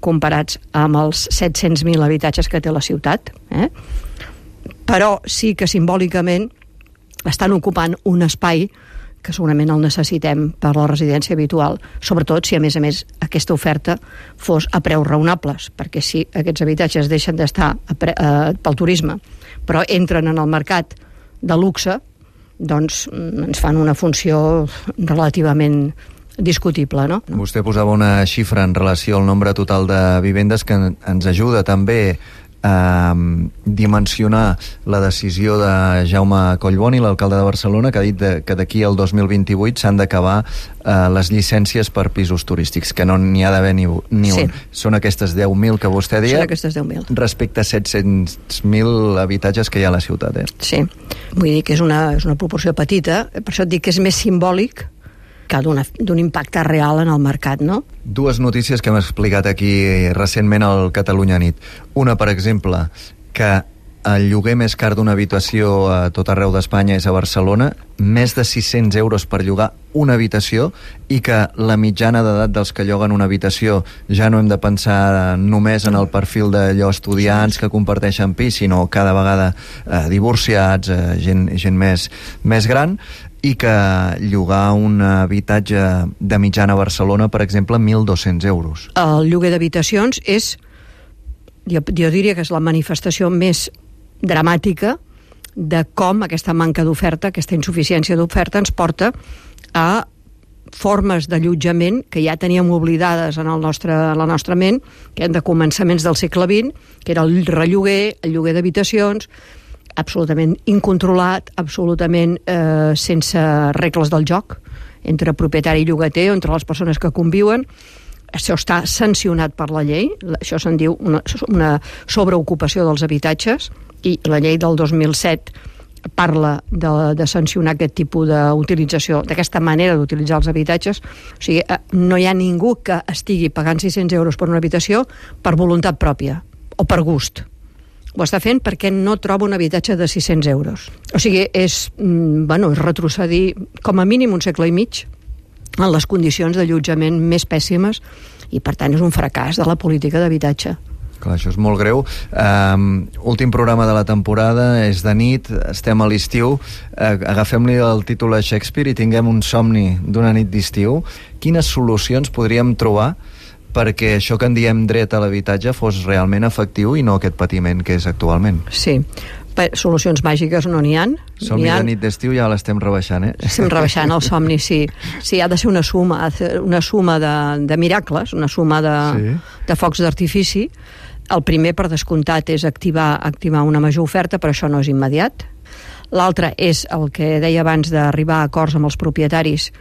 comparats amb els 700.000 habitatges que té la ciutat, però sí que simbòlicament estan ocupant un espai que segurament el necessitem per la residència habitual, sobretot si a més aquesta oferta fos a preus raonables, perquè si aquests habitatges deixen d'estar pel turisme però entren en el mercat de luxe, doncs ens fan una funció relativament discutible, no? Vostè posava una xifra en relació al nombre total de vivendes que ens ajuda també a dimensionar la decisió de Jaume Collboni, l'alcalde de Barcelona, que ha dit que d'aquí al 2028 s'han d'acabar les llicències per pisos turístics, que no n'hi ha d'haver ni un. Són aquestes 10.000 que vostè deia, respecte a 700.000 habitatges que hi ha a la ciutat. Sí, vull dir que és una proporció petita, per això et dic que és més simbòlic que d'un impacte real en el mercat, no? Dues notícies que hem explicat aquí recentment al Catalunya Nit. Una, per exemple, que el lloguer més car d'una habitació a tot arreu d'Espanya és a Barcelona, més de 600 euros per llogar una habitació, i que la mitjana d'edat dels que lloguen una habitació ja no hem de pensar només en el perfil d'allò estudiants que comparteixen pis, sinó cada vegada divorciats, gent més gran, i que llogar un habitatge de mitjana a Barcelona, per exemple, 1.200 euros. El lloguer d'habitacions és, jo diria que és la manifestació més dramàtica de com aquesta manca d'oferta, aquesta insuficiència d'oferta ens porta a formes d'allotjament que ja teníem oblidades en la nostra ment, que eren de començaments del segle XX, que era el relloguer, el lloguer d'habitacions, absolutament incontrolat, absolutament sense regles del joc, entre propietari i llogater, entre les persones que conviuen. Això està sancionat per la llei, això se'n diu una sobreocupació dels habitatges, i la llei del 2007 parla de sancionar aquest tipus d'utilització, d'aquesta manera d'utilitzar els habitatges. O sigui, no hi ha ningú que estigui pagant 600 euros per una habitació per voluntat pròpia o per gust. Ho està fent perquè no troba un habitatge de 600 euros. O sigui, és retrocedir com a mínim un segle i mig en les condicions d'allotjament més pèssimes i, per tant, és un fracàs de la política d'habitatge. Clar, això és molt greu. Últim programa de la temporada, és de nit, estem a l'estiu. Agafem-li el títol a Shakespeare i tinguem un somni d'una nit d'estiu. Quines solucions podríem trobar perquè això que en diem dret a l'habitatge fos realment efectiu i no aquest patiment que és actualment? Sí. Solucions màgiques no n'hi ha. Somni de nit d'estiu ja l'estem rebaixant, Estem rebaixant el somni, sí. Sí, ha de ser una suma de miracles, una suma de focs d'artifici. El primer, per descomptat, és activar una major oferta, però això no és immediat. L'altre és el que deia abans d'arribar a acords amb els propietaris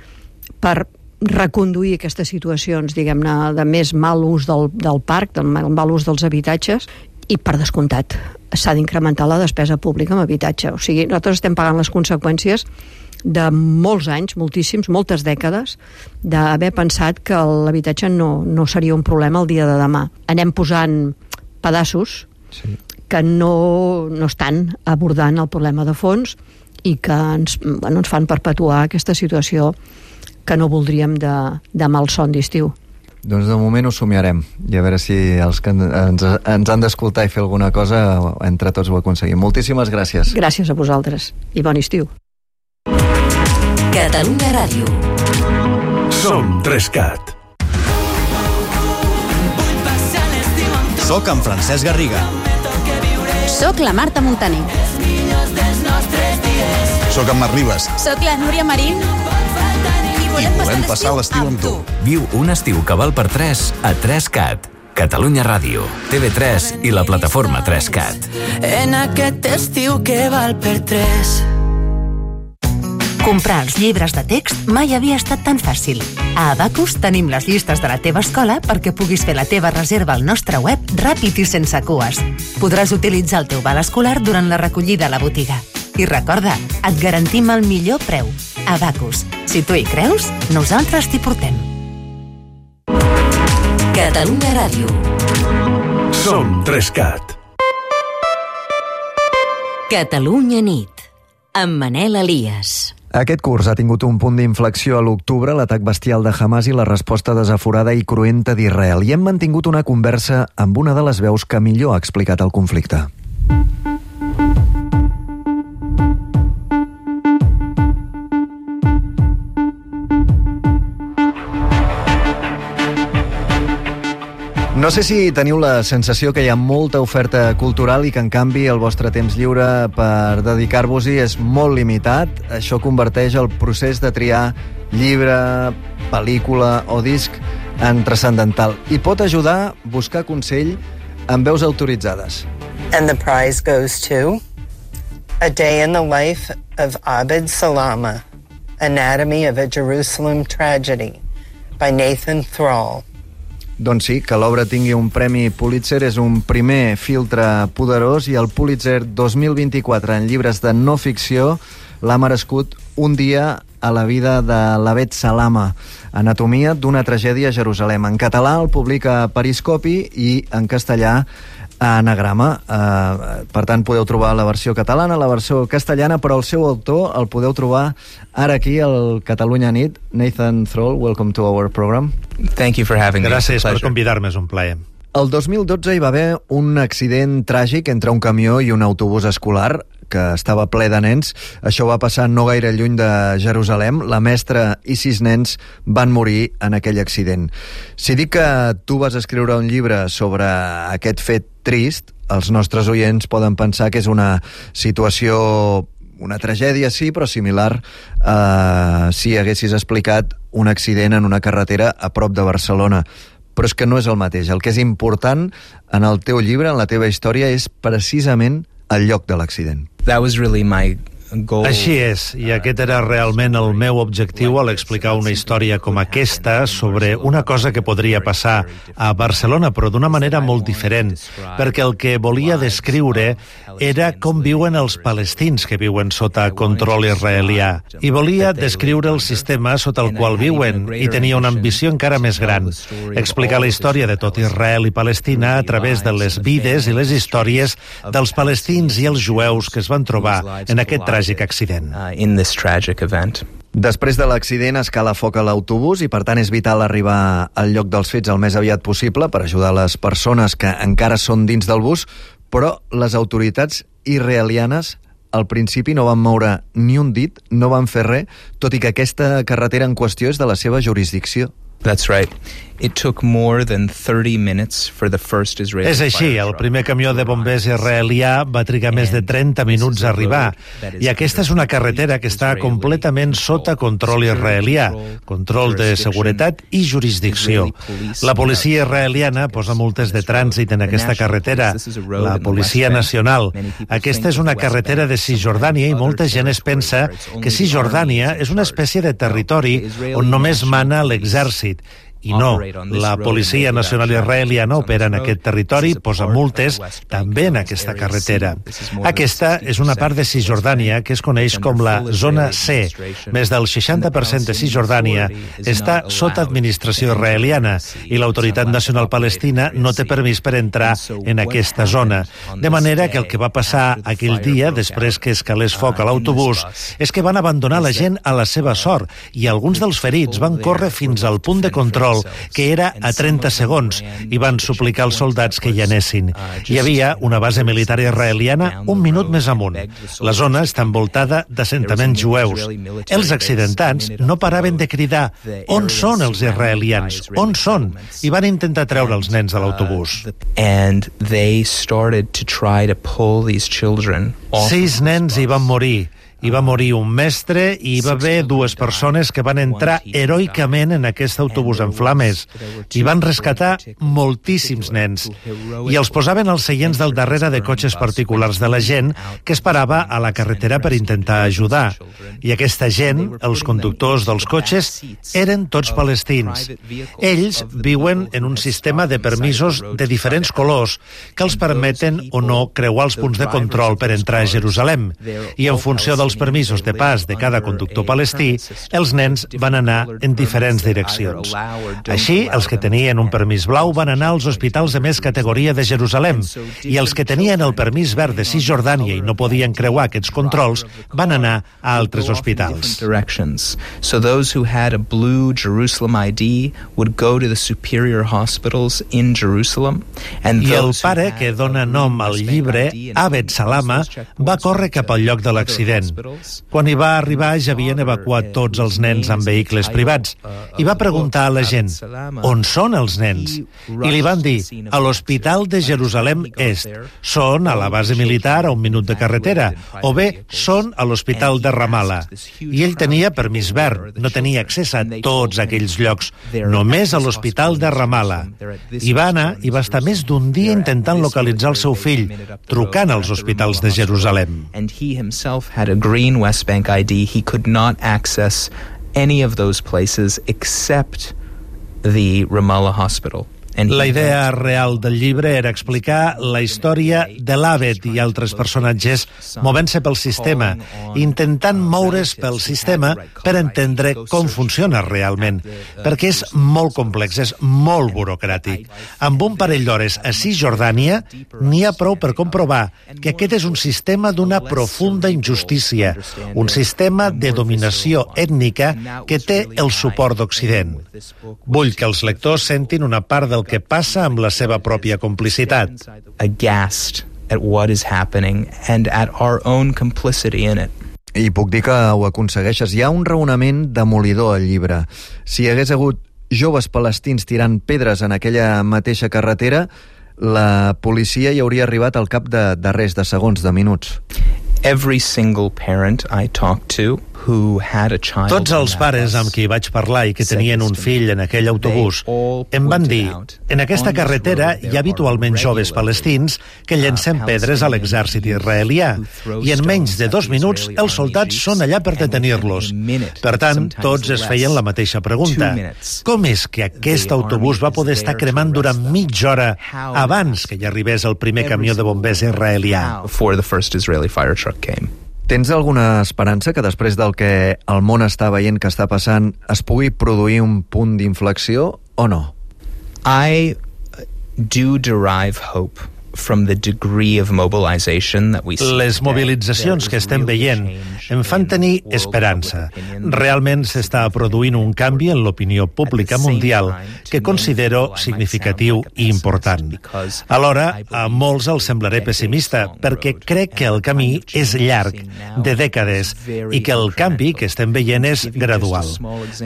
per reconduir aquestes situacions, diguem-ne, de més mal ús del parc, del mal ús dels habitatges, i, per descomptat, s'ha d'incrementar la despesa pública en habitatge. O sigui, nosaltres estem pagant les conseqüències de molts anys, moltíssims, moltes dècades, d'haver pensat que l'habitatge no seria un problema el dia de demà. Anem posant pedaços que no estan abordant el problema de fons i que ens fan perpetuar aquesta situació que no voldríem de malson d'estiu. Doncs de moment ho somiarem i a veure si els que ens han d'escoltar i fer alguna cosa entre tots ho aconseguim. Moltíssimes gràcies. Gràcies a vosaltres i bon estiu. Catalunya Ràdio. Som 3CAT. Soc en Francesc Garriga. Soc la Marta Montaner. Soc en Marc Ribas. Soc la Núria Marín. I volem passar l'estiu amb tu. Viu un estiu que val per 3 a 3CAT. Catalunya Ràdio, TV3 i la plataforma 3CAT. En aquest estiu que val per 3. Comprar els llibres de text mai havia estat tan fàcil. A Abacus tenim les llistes de la teva escola perquè puguis fer la teva reserva al nostre web ràpid i sense cues. Podràs utilitzar el teu val escolar durant la recollida a la botiga. I recorda, et garantim el millor preu. Abacus. Si tu hi creus, nosaltres t'hi portem. Catalunya Ràdio. Som 3CAT. Catalunya nit. Amb Manel Elias. Aquest curs ha tingut un punt d'inflexió a l'octubre, l'atac bestial de Hamas i la resposta desaforada i cruenta d'Israel. I hem mantingut una conversa amb una de les veus que millor ha explicat el conflicte. No sé si teniu la sensació que hi ha molta oferta cultural i que, en canvi, el vostre temps lliure per dedicar-vos-hi és molt limitat. Això converteix el procés de triar llibre, pel·lícula o disc en transcendental i pot ajudar a buscar consell amb veus autoritzades. And the prize goes to A Day in the Life of Abed Salama, Anatomy of a Jerusalem Tragedy, by Nathan Thrall. Doncs sí, que l'obra tingui un premi Pulitzer és un primer filtre poderós i el Pulitzer 2024 en llibres de no ficció l'ha merescut Un dia a la vida de l'Abed Salama, Anatomia d'una tragèdia a Jerusalem. En català el publica Periscopi i en castellà a Anagrama. Per tant, podeu trobar la versió catalana, la versió castellana, però el seu autor el podeu trobar ara aquí al Catalunya Nit. Nathan Thrall, welcome to our program. Thank you for having me. Gràcies per convidar-me, és un plaer. El 2012 hi va haver un accident tràgic entre un camió i un autobús escolar que estava ple de nens. Això va passar no gaire lluny de Jerusalem. La mestra i 6 nens van morir en aquell accident. Si dic que tu vas escriure un llibre sobre aquest fet trist, els nostres oients poden pensar que és una situació, una tragèdia, sí, però similar si haguessis explicat un accident en una carretera a prop de Barcelona. Però és que no és el mateix. El que és important en el teu llibre, en la teva història, és precisament el lloc de l'accident. That was really my goal. Així és, i aquest era realment el meu objectiu al explicar una història com aquesta sobre una cosa que podria passar a Barcelona, però d'una manera molt diferent, perquè el que volia descriure era com viuen els palestins que viuen sota control israelià. I volia descriure el sistema sota el qual viuen, i tenia una ambició encara més gran, explicar la història de tot Israel i Palestina a través de les vides i les històries dels palestins i els jueus que es van trobar en aquest tràgic accident. Després de l'accident es cala foc a l'autobús i per tant és vital arribar al lloc dels fets el més aviat possible per ajudar les persones que encara són dins del bus, però les autoritats israelianes al principi no van moure ni un dit, no van fer res, tot i que aquesta carretera en qüestió és de la seva jurisdicció. That's right. It took more than 30 minutes for the first Israeli. És així, el primer camió de bombers israelià va trigar més de 30 minuts a arribar, i aquesta és una carretera que està completament sota control israelià, control de seguretat i jurisdicció. La policia israeliana posa multes de trànsit en aquesta carretera, la policia nacional. Aquesta és una carretera de Cisjordània i molta gent es pensa que Cisjordània és una espècie de territori on només mana l'exèrcit. I no, la Policia Nacional Israeliana opera en aquest territori, posa multes també en aquesta carretera. Aquesta és una part de Cisjordània que es coneix com la Zona C. Més del 60% de Cisjordània està sota administració israeliana i l'Autoritat Nacional Palestina no té permís per entrar en aquesta zona. De manera que el que va passar aquell dia, després que escalés foc a l'autobús, és que van abandonar la gent a la seva sort i alguns dels ferits van córrer fins al punt de control que era a 30 segons, i van suplicar als soldats que hi anessin. Hi havia una base militar israeliana un minut més amunt. La zona està envoltada d'assentaments jueus. Els accidentats no paraven de cridar «On són els israelians? On són?» i van intentar treure els nens de l'autobús. And they started to try to pull these children off. 6 nens hi van morir. Hi va morir un mestre i hi va haver 2 persones que van entrar heroicament en aquest autobús en flames. Hi van rescatar moltíssims nens i els posaven als seients del darrere de cotxes particulars de la gent que es parava a la carretera per intentar ajudar. I aquesta gent, els conductors dels cotxes, eren tots palestins. Ells viuen en un sistema de permisos de diferents colors que els permeten o no creuar els punts de control per entrar a Jerusalem. I en funció dels permisos de pas de cada conductor palestí, els nens van anar en diferents direccions. Així, els que tenien un permís blau van anar als hospitals de més categoria de Jerusalem, i els que tenien el permís verd de Cisjordània i no podien creuar aquests controls van anar a altres hospitals. So those who had a blue Jerusalem ID would go to the superior hospitals in Jerusalem. I el pare que dona nom al llibre, Abed Salama, va córrer cap al lloc de l'accident. Quan hi va arribar ja havien evacuat tots els nens en vehicles privats i va preguntar a la gent on són els nens? I li van dir a l'Hospital de Jerusalem Est, són a la base militar a un minut de carretera, o bé són a l'Hospital de Ramallah. I ell tenia permís verd, no tenia accés a tots aquells llocs, només a l'Hospital de Ramallah. I va anar i va estar més d'un dia intentant localitzar el seu fill, trucant als hospitals de Jerusalem. And he himself had a green West Bank ID. He could not access any of those places except the Ramallah hospital. La idea real del llibre era explicar la història de l'Abed i altres personatges movent-se pel sistema, intentant moure's pel sistema per entendre com funciona realment, perquè és molt complex, és molt burocràtic. Amb un parell d'hores a Cisjordània n'hi ha prou per comprovar que aquest és un sistema d'una profunda injustícia, un sistema de dominació ètnica que té el suport d'Occident. Vull que els lectors sentin una part del que passa amb la seva pròpia complicitat. Aghast at what is happening and at our own complicity in it. I puc dir que ho aconsegueixes. Hi ha un raonament demolidor al llibre. Si hi hagués hagut joves palestins tirant pedres en aquella mateixa carretera, la policia hi hauria arribat al cap de res, de segons, de minuts. Every single parent I talked to who had a child. Tots els pares amb qui vaig parlar i que tenien un fill en aquell autobús em van dir: en aquesta carretera hi ha habitualment joves palestins que llencen pedres a l'exèrcit israelià i en menys de 2 minuts els soldats són allà per detenir-los. Per tant, tots es feien la mateixa pregunta: com és que aquest autobús va poder estar cremant durant mitja hora abans que hi arribés el primer camió de bombers israelià? Before the first Israeli fire truck came. Tens alguna esperança que després del que el món està veient que està passant es pugui produir un punt d'inflexió o no? I do derive hope from the degree of mobilization that we see. Les mobilitzacions que estem veient em fan tenir esperança. Realment s'està produint un canvi en l'opinió pública mundial que considero significatiu i important. Alhora, a molts els semblaré pessimista, perquè crec que el camí és llarg, de dècades, i que el canvi que estem veient és gradual.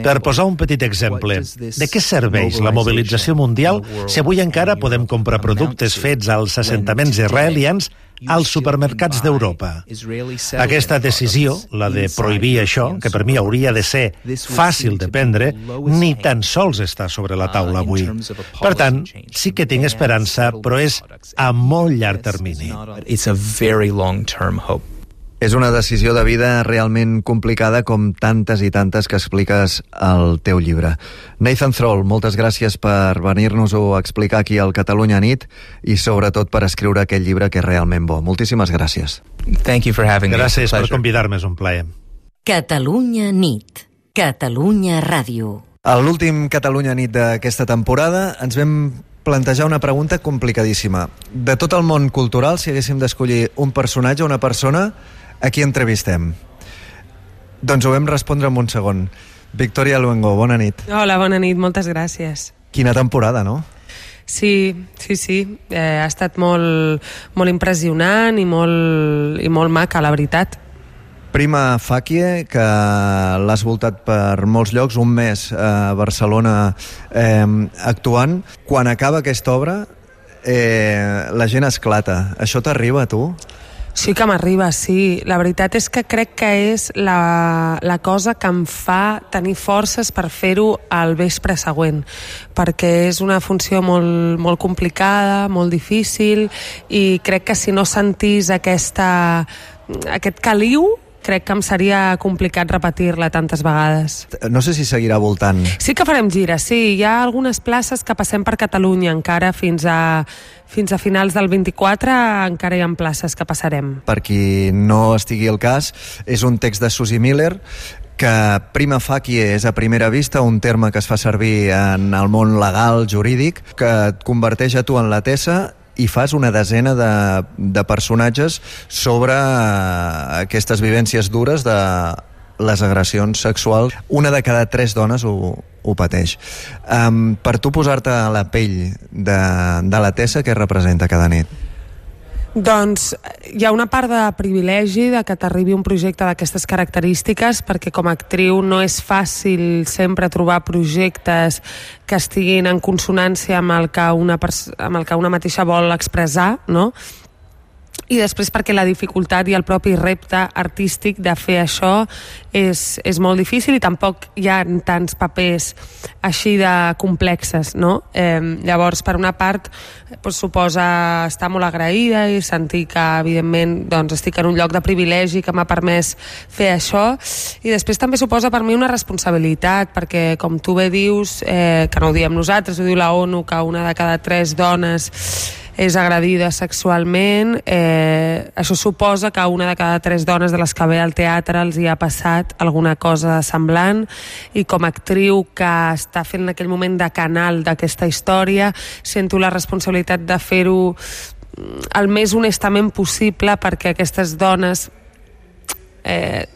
Per posar un petit exemple, de què serveix la mobilització mundial si avui encara podem comprar productes fets als assentaments israelians als supermercats d'Europa? Aquesta decisió, la de prohibir això, que per mi hauria de ser fàcil de prendre, ni tan sols està sobre la taula avui. Per tant, sí que tinc esperança, però és a molt llarg termini. It's a very long-term hope. És una decisió de vida realment complicada, com tantes i tantes que expliques al teu llibre. Nathan Thrall, moltes gràcies per venir-nos-ho a explicar aquí al Catalunya Nit i sobretot per escriure aquest llibre que és realment bo. Moltíssimes gràcies. Thank you for having me. Gràcies per convidar-me, és un plaer. Catalunya Nit. Catalunya Ràdio. A l'últim Catalunya Nit d'aquesta temporada ens vam plantejar una pregunta complicadíssima. De tot el món cultural, si haguéssim d'escollir un personatge o una persona, a qui entrevistem? Doncs ho vam respondre en un segon. Victòria Luengo, bona nit. Hola, bona nit, moltes gràcies. Quina temporada, no? Sí. Ha estat molt impressionant i molt maca, la veritat. Prima Facie, que l'has voltat per molts llocs, un mes a Barcelona actuant. Quan acaba aquesta obra, la gent esclata. Això t'arriba, a tu? Sí que m'arriba, sí. La veritat és que crec que és la cosa que em fa tenir forces per fer-ho al vespre següent, perquè és una funció molt complicada, molt difícil, i crec que si no sentís aquest caliu, crec que em seria complicat repetir-la tantes vegades. No sé si seguirà voltant. Sí que farem gires, sí. Hi ha algunes places que passem per Catalunya encara fins a finals del 24, encara hi ha places que passarem. Per qui no estigui al cas, és un text de Susie Miller que prima facie és a primera vista un terme que es fa servir en el món legal, jurídic, que et converteix a tu en la Tessa i fas una desena de personatges sobre aquestes vivències dures de les agressions sexuals. Una de cada 3 dones ho pateix. Per tu posar-te a la pell de la Tessa, què representa cada nit? Doncs hi ha una part de privilegi de que t'arribi un projecte d'aquestes característiques, perquè com a actriu no és fàcil sempre trobar projectes que estiguin en consonància amb el que una mateixa vol expressar, no? I després perquè la dificultat i el propi repte artístic de fer això és molt difícil i tampoc hi ha tants papers així de complexes, no? Llavors, per una part, suposa estar molt agraïda i sentir que, evidentment, estic en un lloc de privilegi que m'ha permès fer això, i després també suposa per mi una responsabilitat, perquè, com tu bé dius, que no ho diem nosaltres, ho diu la ONU, que una de cada 3 dones és agredida sexualment. Això suposa que una de cada 3 dones de les que ve al teatre els hi ha passat alguna cosa semblant, i com a actriu que està fent en aquell moment de canal d'aquesta història, sento la responsabilitat de fer-ho el més honestament possible perquè aquestes dones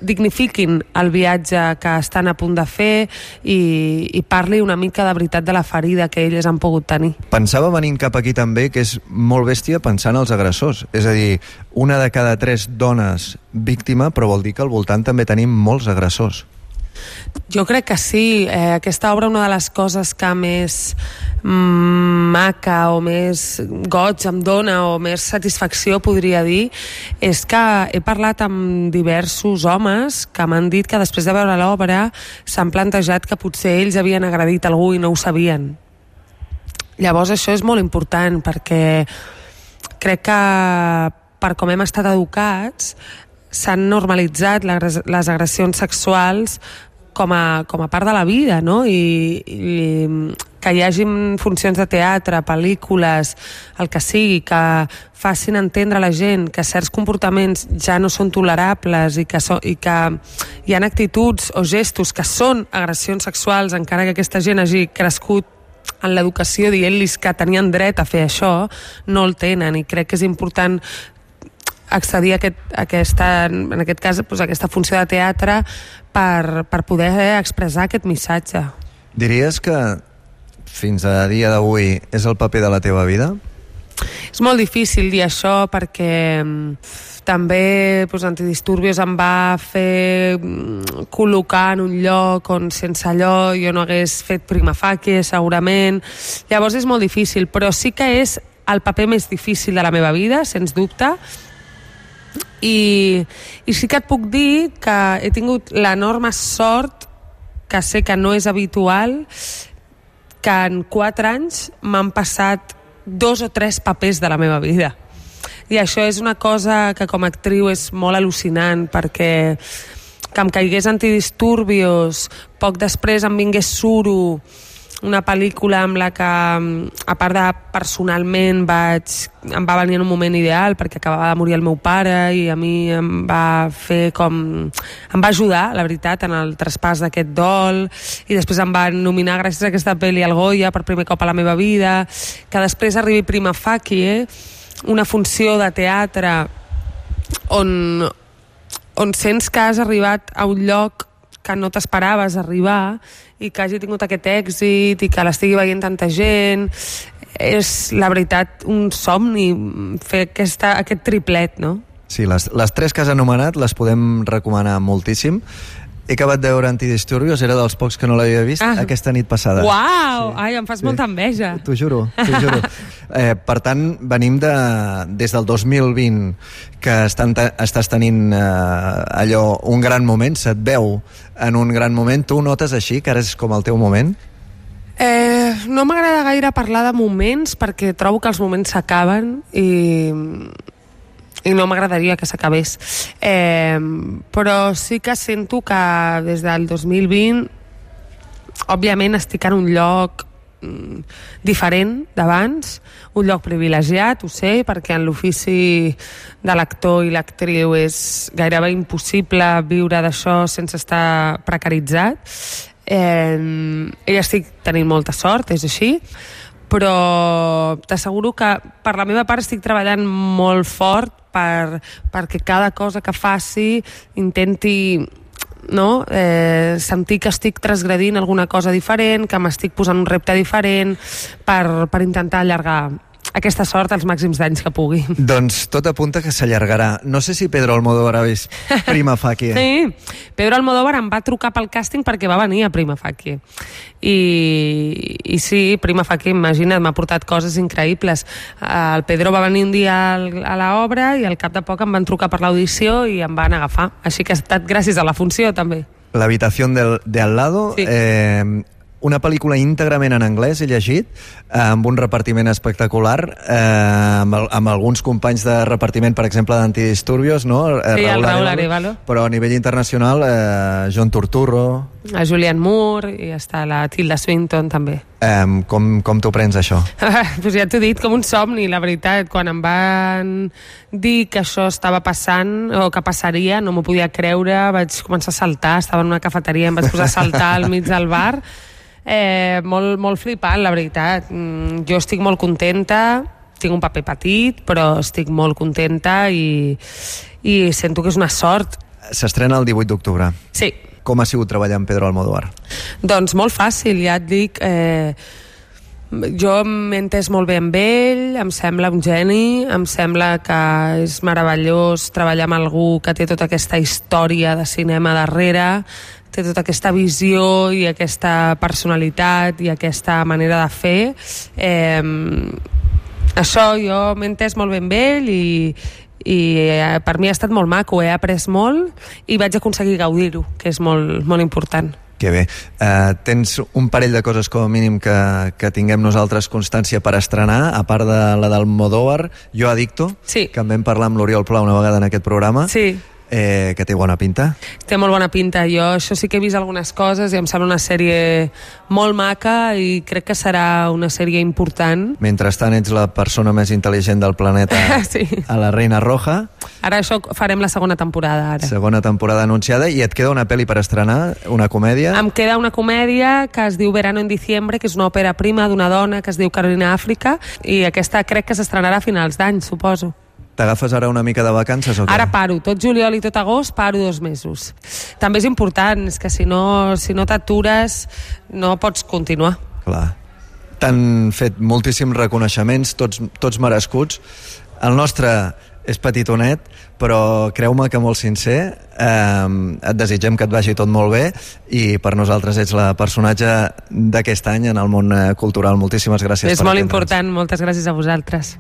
dignifiquin el viatge que estan a punt de fer i parli una mica de veritat de la ferida que elles han pogut tenir. Pensava venint cap aquí també que és molt bèstia pensar en els agressors, és a dir, una de cada 3 dones víctima, però vol dir que al voltant també tenim molts agressors. Jo crec que sí. Aquesta obra, una de les coses que més maca o més goig em dona o més satisfacció, podria dir, és que he parlat amb diversos homes que m'han dit que després de veure l'obra s'han plantejat que potser ells havien agredit algú i no ho sabien. Llavors això és molt important, perquè crec que per com hem estat educats s'han normalitzat les agressions sexuals com a part de la vida, no? I que hi hagi funcions de teatre, pel·lícules, el que sigui, que facin entendre a la gent que certs comportaments ja no són tolerables i que hi ha actituds o gestos que són agressions sexuals, encara que aquesta gent hagi crescut en l'educació dient-los que tenien dret a fer això, no el tenen, i crec que és important accedir a en aquest cas, a aquesta funció de teatre per poder expressar aquest missatge. Diries que fins a dia d'avui és el paper de la teva vida? És molt difícil dir això perquè també Antidisturbios em va fer col·locar en un lloc on sense allò jo no hagués fet prima facie, segurament. Llavors és molt difícil, però sí que és el paper més difícil de la meva vida, sens dubte. I sí que et puc dir que he tingut l'enorme sort, que sé que no és habitual, que en 4 anys m'han passat 2 o 3 papers de la meva vida. I això és una cosa que com a actriu és molt al·lucinant, perquè que em caigués Antidisturbios, poc després em vingués Suro, una pel·lícula amb la que, a part de personalment, em va venir en un moment ideal perquè acabava de morir el meu pare i a mi em va ajudar, la veritat, en el traspàs d'aquest dol, i després em van nominar gràcies a aquesta pel·li al Goya per primer cop a la meva vida, que després arribi Prima Facie, una funció de teatre on sents que has arribat a un lloc que no t'esperaves arribar i que hagi tingut aquest èxit i que l'estigui veient tanta gent. És, la veritat, un somni fer aquest triplet, no? Sí, les 3 que has anomenat les podem recomanar moltíssim. He acabat de veure Antidisturbios, era dels pocs que no l'havia vist aquesta nit passada. Uau! Sí. Ai, em fas molta enveja. T'ho juro. Per tant, venim des del 2020, que estàs tenint allò, un gran moment, se't veu en un gran moment. Tu notes així, que ara és com el teu moment? No m'agrada gaire parlar de moments, perquè trobo que els moments s'acaben i no m'agradaria que s'acabés. Però sí que sento que des del 2020 òbviament estic en un lloc diferent d'abans, un lloc privilegiat, ho sé, perquè en l'ofici de l'actor i l'actriu és gairebé impossible viure d'això sense estar precaritzat. I estic tenint molta sort, és així, però t'asseguro que per la meva part estic treballant molt fort perquè cada cosa que faci intenti sentir que estic transgredint alguna cosa diferent, que m'estic posant un repte diferent per intentar allargar aquesta sort als màxims d'anys que pugui. Doncs tot apunta que s'allargarà. No sé si Pedro Almodóvar ha vist Prima Facie. Sí, Pedro Almodóvar em va trucar pel càsting perquè va venir a Prima Facie. I sí, Prima Facie, imagina't, m'ha portat coses increïbles. El Pedro va venir un dia a l'obra i al cap de poc em van trucar per l'audició i em van agafar. Així que ha estat gràcies a la funció, també. L'habitación de al lado... Sí. Una pel·lícula íntegrament en anglès, he llegit, amb un repartiment espectacular, amb alguns companys de repartiment, per exemple, d'Antidisturbios, no? Sí, el Raúl Arévalo. Però a nivell internacional, John Turturro... A Julianne Moore, i està la Tilda Swinton, també. Com t'ho prens, això? Pues ja t'ho he dit, com un somni, la veritat. Quan em van dir que això estava passant, o que passaria, no m'ho podia creure, vaig començar a saltar, estava en una cafeteria, em vaig posar a saltar al mig del bar... molt flipant, la veritat. Jo estic molt contenta, tinc un paper petit, però estic molt contenta i sento que és una sort. S'estrena el 18 d'octubre. Sí. Com ha sigut treballar amb Pedro Almodóvar? Doncs molt fàcil, ja et dic. Jo m'he entès molt bé amb ell, em sembla un geni, em sembla que és meravellós treballar amb algú que té tota aquesta història de cinema darrere, té tota aquesta visió i aquesta personalitat i aquesta manera de fer. Això jo m'he entès molt bé amb ell i per mi ha estat molt maco, he après molt i vaig aconseguir gaudir-ho, que és molt, molt important. Que bé. Tens un parell de coses com a mínim que tinguem nosaltres constància per estrenar, a part de la d'Almodóvar, Jo Adicto, sí, que en vam parlar amb l'Oriol Pla una vegada en aquest programa. Sí. Que té bona pinta. Té molt bona pinta. Jo això sí que he vist algunes coses i em sembla una sèrie molt maca i crec que serà una sèrie important. Mentrestant ets la persona més intel·ligent del planeta sí, a la Reina Roja. Ara això farem la segona temporada. Ara. Segona temporada anunciada. I et queda una pel·li per estrenar, una comèdia? Em queda una comèdia que es diu Verano en diciembre, que és una òpera prima d'una dona que es diu Carolina Àfrica, i aquesta crec que s'estrenarà a finals d'any, suposo. T'agafes ara una mica de vacances o què? Ara paro, tot juliol i tot agost paro 2 mesos. També és important, és que si no t'atures no pots continuar. Clar. T'han fet moltíssims reconeixements, tots merescuts. El nostre és petitonet, però creu-me que molt sincer. Et desitgem que et vagi tot molt bé i per nosaltres ets la personatge d'aquest any en el món cultural. Moltíssimes gràcies per atendre'ns. És molt important, moltes gràcies a vosaltres.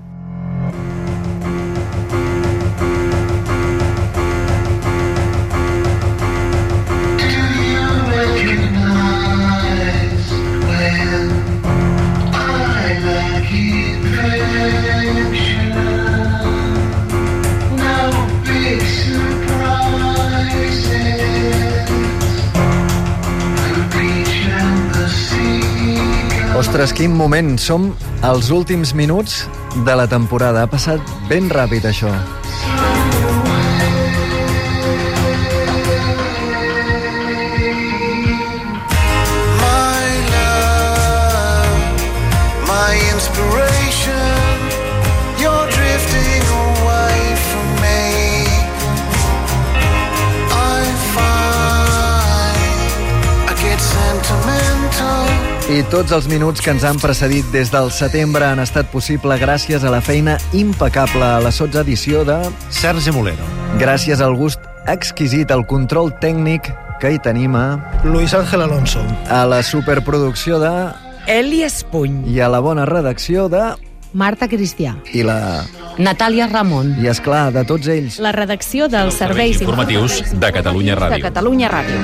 Ostres, quin moment! Som als últims minuts de la temporada. Ha passat ben ràpid, això. I tots els minuts que ens han precedit des del setembre han estat possible gràcies a la feina impecable a la 12a edició de Sergi Molero. Gràcies al gust exquisit, al control tècnic que hi tenim a Luis Ángel Alonso. A la superproducció de Eli Espuny. I a la bona redacció de Marta Cristià. I la Natàlia Ramon. I esclar, de tots ells. La redacció dels serveis informatius de Catalunya Ràdio. De Catalunya Ràdio.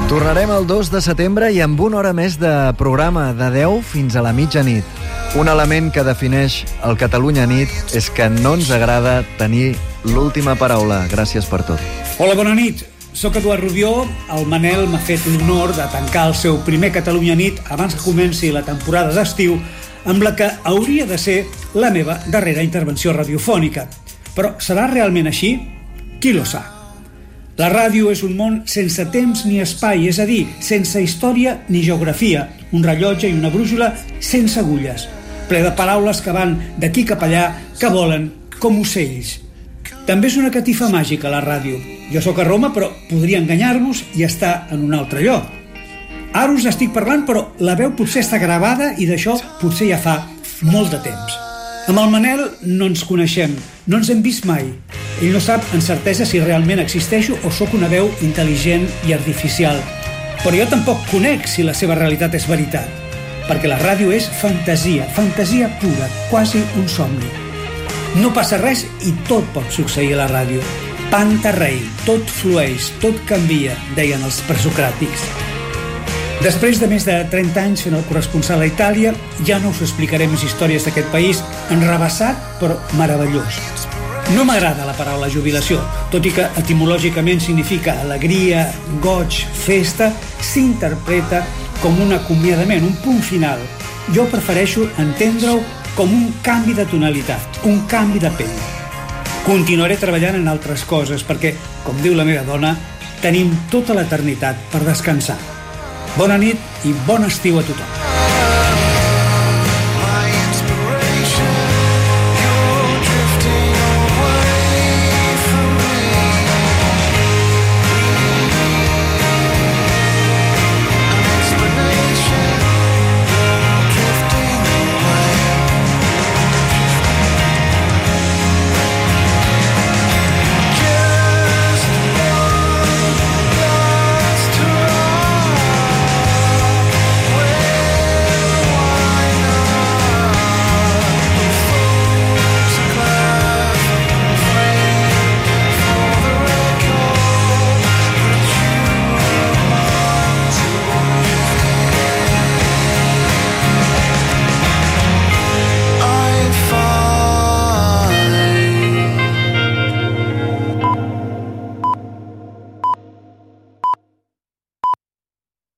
Tornarem el 2 de setembre i amb una hora més de programa, de 10 fins a la mitjanit. Un element que defineix el Catalunya Nit és que no ens agrada tenir l'última paraula. Gràcies per tot. Hola, bona nit. Soc Eduard Rubió. El Manel m'ha fet l'honor de tancar el seu primer Catalunya Nit abans que comenci la temporada d'estiu, amb la que hauria de ser la meva darrera intervenció radiofònica. Però serà realment així? Qui lo sap? La ràdio és un món sense temps ni espai, és a dir, sense història ni geografia, un rellotge i una brúixola sense agulles, ple de paraules que van d'aquí cap allà, que volen com ocells. També és una catifa màgica, la ràdio. Jo sóc a Roma, però podria enganyar-vos i estar en un altre lloc. Ara us estic parlant, però la veu potser està gravada i d'això potser ja fa molt de temps. Amb el Manel no ens coneixem, no ens hem vist mai. Ell no sap en certesa si realment existeixo o sóc una veu intel·ligent i artificial. Però jo tampoc conec si la seva realitat és veritat, perquè la ràdio és fantasia, fantasia pura, quasi un somni. No passa res i tot pot succeir a la ràdio. Panta rei, tot flueix, tot canvia, deien els presocràtics. Després de més de 30 anys fent el corresponsal a Itàlia, ja no us explicaré més històries d'aquest país enrabassat però meravellós. No m'agrada la paraula jubilació, tot i que etimològicament significa alegria, goig, festa, s'interpreta com un acomiadament, un punt final. Jo prefereixo entendre-ho com un canvi de tonalitat, un canvi de pell. Continuaré treballant en altres coses perquè, com diu la meva dona, tenim tota l'eternitat per descansar. Bona nit i bon estiu a tothom.